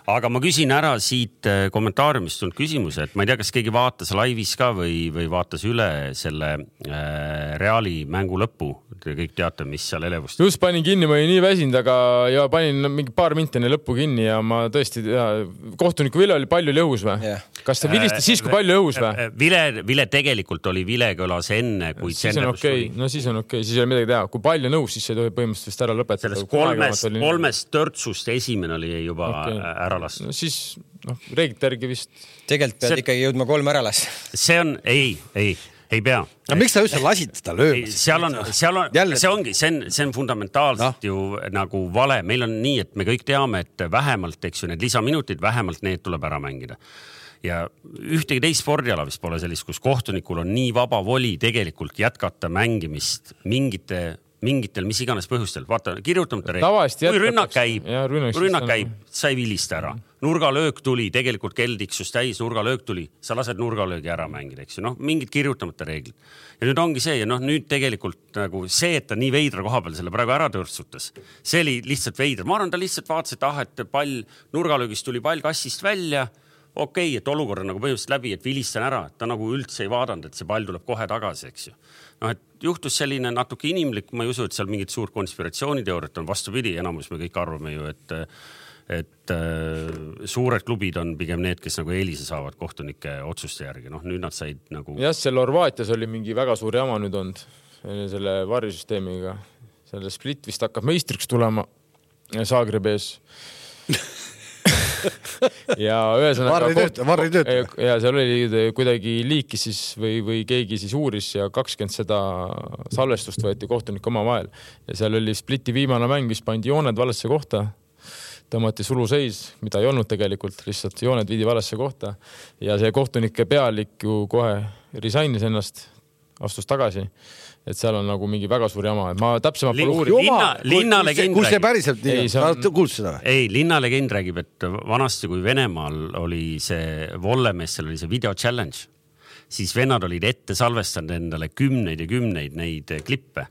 Aga ma küsin ära siit kommentaariumist tulnud küsimuse, et ma ei tea, kas keegi vaatas laivis ka või, või vaatas üle selle äh, Reali mängu lõppu. Te kõik teate, mis seal elevust. Just panin kinni, ma olin nii väsinud, aga ja panin mingi paar mintene lõppu kinni ja ma tõesti, ja, kohtuniku Vile oli palju lõhus või? Yeah. Kas ta vilistas siis, kui palju lõhus või? Vile, Vile tegelikult oli Vilegõlas enne, kui siis on okei, okay. No siis on okei, okay. Siis ei ole midagi teha. Kui palju nõus, siis ei tohi põhimõtteliselt ära lõpetada. Sellest kolmest, kolmest törtsust esimene oli juba okay. ära lasta. No siis, noh, reeglite järgi vist. Tegelikult pead see... ikkagi jõudma kolm ära lasta. See on, ei, ei. Ei pea. No miks sa üldse lasid seda löömas? Seal on, seal on, Jälle... see ongi, see on, see on fundamentaalselt no. ju nagu vale. Meil on nii, et me kõik teame, et vähemalt, eks ju, need lisaminutid, vähemalt need tuleb ära mängida. Ja ühtegi teist spordiala vist pole sellist, kus kohtunikul on nii vaba voli tegelikult jätkata mängimist mingite mingitel, mis iganes põhjustel. Vaata, kirjutamata reegel. Kui rünnak käib, ja, rünnak käib, sa ei vilista ära. Nurgalöök tuli, tegelikult keldiksus täis, nurgalöök tuli, sa lased nurgalöögi ära mängida, eks ju. Noh, mingid kirjutamata reeglid. Ja nüüd ongi see, ja noh, nüüd tegelikult nagu see, et ta nii veidra koha peal selle praegu ära tõrtsutas, see oli lihtsalt veidra. Ma arvan, ta lihtsalt vaatas, et ah, et pall, nurgalöögist tuli pall kassist välja, okei, okay, et olukorra nagu põhimõtteliselt läbi, et vilistan ära, ta nagu üldse ei vaadanud, et see pall tuleb kohe tagasi, eks ju. Noh, et juhtus selline natuke inimlik, ma ei usu, et seal mingid suur konspiratsiooniteooriat on vastupidi, enamus me kõik arvame ju, et, et äh, suured klubid on pigem need, kes nagu eelise saavad kohtunike otsuste järgi. Noh, nüüd nad said nagu... Jah, seal Horvaatias oli mingi väga suur jama nüüd olnud selle varisüsteemiga. Selle Split vist hakkab meistriks tulema Zagrebis. ja ühesõnaga varri tööt ja seal oli kuidagi liiki siis või, või keegi siis uuris ja kakskümmend seda salvestust võeti kohtunik oma vahel ja seal oli Spliti viimane mäng, mis pandi jooned valesse kohta, tõmmati suluseis, mida ei olnud tegelikult, lihtsalt jooned viidi valesse kohta ja see kohtunike pealik ju kohe risainis ennast, astus tagasi. Et seal on nagu mingi väga suur jama. Ma täpsemalt pole uurib. Linna, linna legend kus see päriselt nii ei, on? Kuulsid seda? Ei, linna legend räägib, et vanasti kui Venemaal oli see Vollemessel oli see video challenge, siis vennad olid ette salvestanud endale kümneid ja kümneid neid klippe.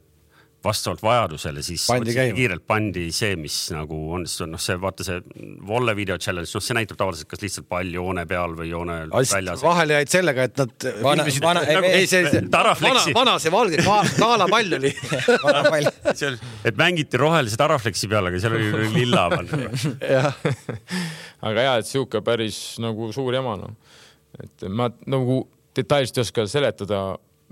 Vastavalt vajadusele siis pandi kiirelt pandi see, mis nagu on, noh see, vaata see Volle video challenge, noh see näitab tavaliselt kas lihtsalt pall joone peal või joone väljas. Vahel jäid sellega, et nad vana, filmisid, vana, nagu, ei, see, see, vana, vana see valge, kaala pall oli. Vana pall. Seal, et mängiti rohelise tarafleksi peal, aga seal oli lilla pall. aga jah, et siuke päris nagu suur jama. No. Et ma nagu detailselt ei oska seletada.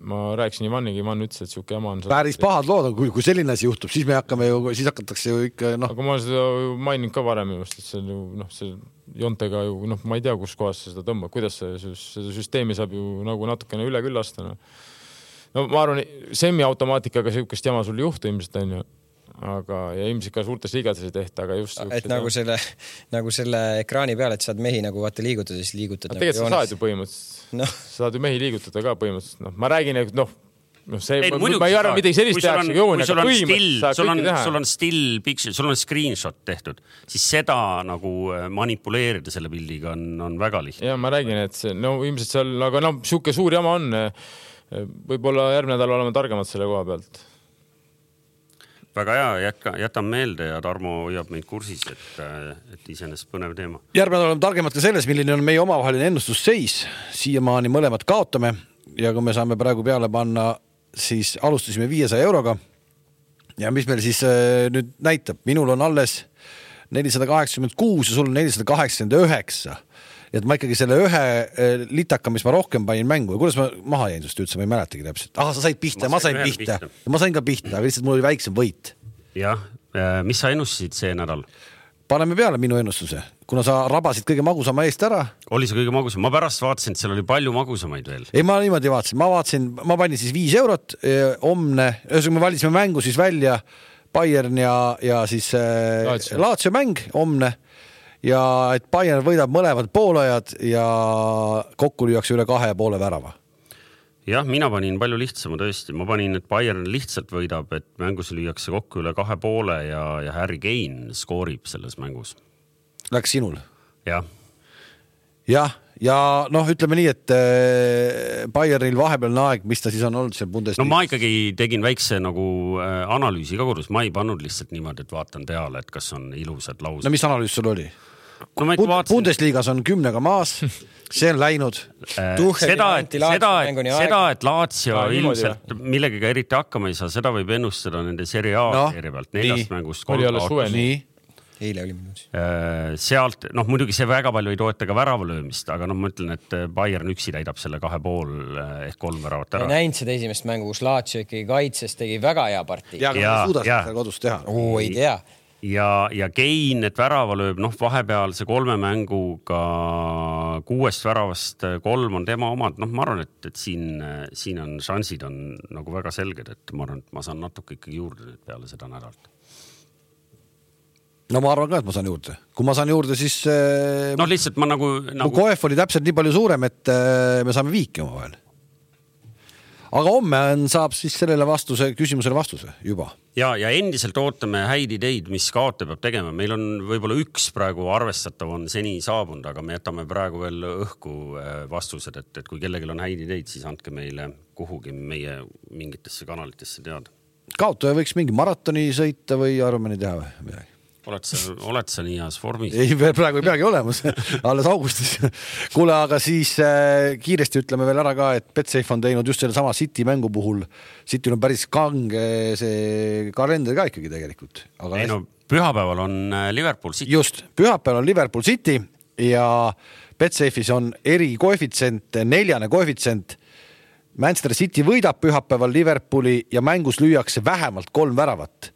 Ma rääkisin Ivaniga, Ivan ütles, et siuke jama on... Päris pahad lood on, kui, kui selline asi juhtub, siis me hakkame ju, siis hakatakse ju ikka, noh... Aga ma seda mainin ka varem just, et see, noh, see jontega ju, noh, ma ei tea, kus kohas seda tõmba, kuidas see, see süsteemi saab ju nagu natukene üle küllasta. No, no ma arvan, semi-automaatikaga siukest jama sul juhtu ilmselt on ju. Aga ja ilmselt ka suurtes liigades ei tehta, aga just... Et nagu selle, nagu selle ekraani peal, et saad mehi nagu vaata liigutada, siis liigutad... Aga tegelikult sa saad ju põhimõtteliselt. No. Sa saad ju mehi liigutada ka põhimõtteliselt. No, ma räägin, et noh, no see, ei, ma, ma ei arva midagi sellist tehakse jooni, aga põhimõtteliselt sul on, sul on still picture, sul on screenshot tehtud, siis seda nagu manipuleerida selle pildiga on, on väga lihtne. Ja ma räägin, et see, no ilmselt seal, aga no siuke suur jama on, võib-olla järgmine nädal oleme targemad selle koha pealt. Väga hea, jätka, jätan meelde ja Tarmo hoiab meid kursis, et, et iseenesest põnev teema. Järgmine oleme targemad ka selles, milline on meie omavaheline ennustusseis. Siiamaani mõlemad kaotame ja kui me saame praegu peale panna, siis alustasime viiesaja euroga. Ja mis meil siis nüüd näitab? Minul on alles nelisada kaheksakümmend kuus ja sul on nelisada kaheksakümmend üheksa. Et ma ikkagi selle ühe litaka, mis ma rohkem panin mängu ja kuidas ma maha jäin sust üldse, ma ei mäletagi täpselt. Aha, sa said pihta, ma sain, ma sain pihta. pihta. Ma sain ka pihta, aga lihtsalt mul oli väiksem võit. Jah, mis sa ennustasid see nädal? Paneme peale minu ennustuse. Kuna sa rabasid kõige magusama eest ära. Oli see kõige magusam? Ma pärast vaatasin, et seal oli palju magusamaid veel. Ei, ma niimoodi vaatasin. Ma vaatasin, ma panin siis viis eurot, omne, öösega me valisime mängu siis välja Bayern ja, ja siis Laatsio. Laatsio mäng, omne. Ja et Bayern võidab mõlemad poolajad ja kokku lüüakse üle kahe ja poole värava. jah, mina panin palju lihtsama tõesti. Ma panin, et Bayern lihtsalt võidab, et mängus lüüakse kokku üle kahe poole ja, ja Harry Kane skoorib selles mängus. Läks sinul? Jah. Jah, ja noh, ütleme nii, et Bayernil vahepealne aeg, mis ta siis on olnud seal Bundesliga? No ma ikkagi tegin väikse nagu analüüsi ka kodus. Ma ei pannud lihtsalt niimoodi, et vaatan peale, et kas on ilusad laused. No mis analüüs sul oli? No ma vaatasin... Bundesligas on kümnega maas, see on läinud. Seda, et, seda, et, seda, et Lazio no, ilmselt millegagi eriti hakkama ei saa, seda võib ennustada nende Serie A no, seeria pealt. Neljast mängust kolm kaotus. Eile oli minus. Sealt, noh muidugi see väga palju ei toeta ka väravalöömist, aga noh ma ütlen, et Bayern üksi täidab selle kahe pool ehk kolm väravat ära. Ma näinud seda esimest mängu, kus Lazio ikkagi kaitses tegi väga hea partii. Ja, aga ma suudas seda kodus teha. Oo, ei tea. Ja, ja Kane, et värava lööb, noh vahepeal see kolme mänguga kuuest väravast kolm on tema omad. Noh ma arvan, et, et siin, siin on šansid on nagu väga selged, et ma arvan, et ma saan natuke ikkagi juurde nüüd peale seda nädalt. No ma arvan ka, et ma saan juurde. Kui ma saan juurde, siis... No lihtsalt ma nagu... nagu... Mu Koef oli täpselt nii palju suurem, et me saame viiki oma vahel. Aga homme on, saab siis sellele vastuse, küsimusele vastuse juba. Ja, ja endiselt ootame häid ideid, mis kaote peab tegema. Meil on võib-olla üks praegu arvestatav on seni saabunud, aga me jätame praegu veel õhku vastused, et, et kui kellelgi on häid ideid, siis andke meile kuhugi meie mingitesse kanalitesse teada. Kaotaja võiks mingi maratoni sõita või arvameni teha või midagi? Oled sa, oled sa nii heas vormis? Ei, praegu ei peagi olemas, alles augustis. Kuule, aga siis äh, kiiresti ütleme veel ära ka, et Betsafe on teinud just selle sama City mängu puhul. Cityl on päris kange see kalender ka ikkagi tegelikult. Aga ei no, pühapäeval on Liverpool City. Just, pühapäeval on Liverpool City ja Betsafe'is on eri koefitsient, neljane koefitsient. Manchester City võidab pühapäeval Liverpooli ja mängus lüüakse vähemalt kolm väravat.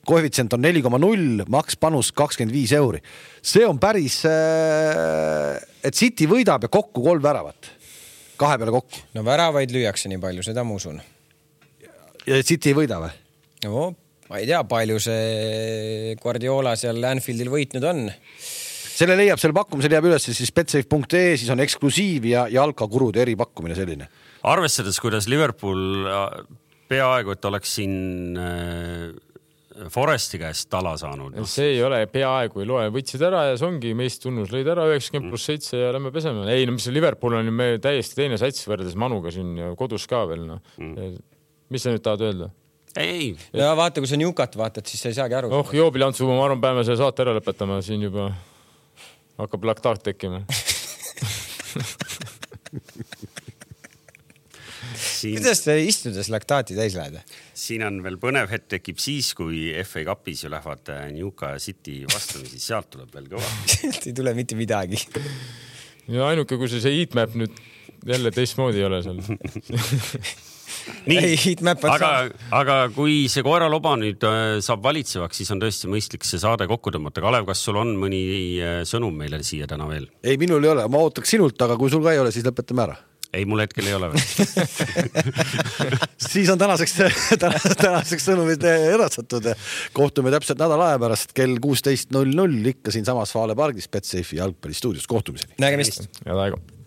Koefitsient on neli koma null, maks panus kakskümmend viis euri. See on päris, et City võidab ja kokku kolm väravat. Kahe peale kokku. No väravaid lüüakse nii palju, seda ma usun. Ja City ei võida või? No, ma ei tea, palju see Guardiola seal Anfieldil võitnud on. Selle leiab, selle pakkumisel jääb üles siis betsafe punkt ee, siis on eksklusiiv ja jalkakurud eri pakkumine selline. Arvestades, kuidas Liverpool peaaegu, et oleks siin... Foresti käest tala saanud. No. See ei ole peaaegu ei loe. Võtsid ära ja see ongi meist tunnus. Lõid ära üheksakümmend pluss seitse ja lähme peseme. Ei, no mis Liverpool on me täiesti teine sats võrdes Manuga siin ja kodus ka veel. No. Mm. Mis sa nüüd tahad öelda? Ei, ei. Ja vaata, kui sa Newcat vaatad, siis sa ei saagi aru. Oh, Joobilantsu, ma arvan, päeva selle saate ära lõpetama. Siin juba hakkab laktaat tekkima. Siin... Kuidas te istudes laktaati täis lähed? Siin on veel põnev hetk tekib siis, kui F A Cupis ju lähevad Newca ja City vastamisi, sealt tuleb veel kõva. Sealt ei tule mitte midagi. Ja ainuke, kui see heatmap nüüd jälle teistmoodi ei ole seal. Nii, ei, aga, aga kui see koeraloba nüüd saab valitsevaks, siis on tõesti mõistlik see saade kokku tõmmata. Kalev, kas sul on mõni sõnum meile siia täna veel? Ei, minul ei ole. Ma ootaks sinult, aga kui sul ka ei ole, siis lõpetame ära. Ei, mul hetkel ei ole veel. Siis on tänaseks, tänaseks sõnumid edastatud. Kohtume täpselt nädala aja pärast kell kuusteist null null ikka siin samas Vaale pargis Betsafe jalgpallistuudios. Kohtumiseni. Nägemist. Ja taegu.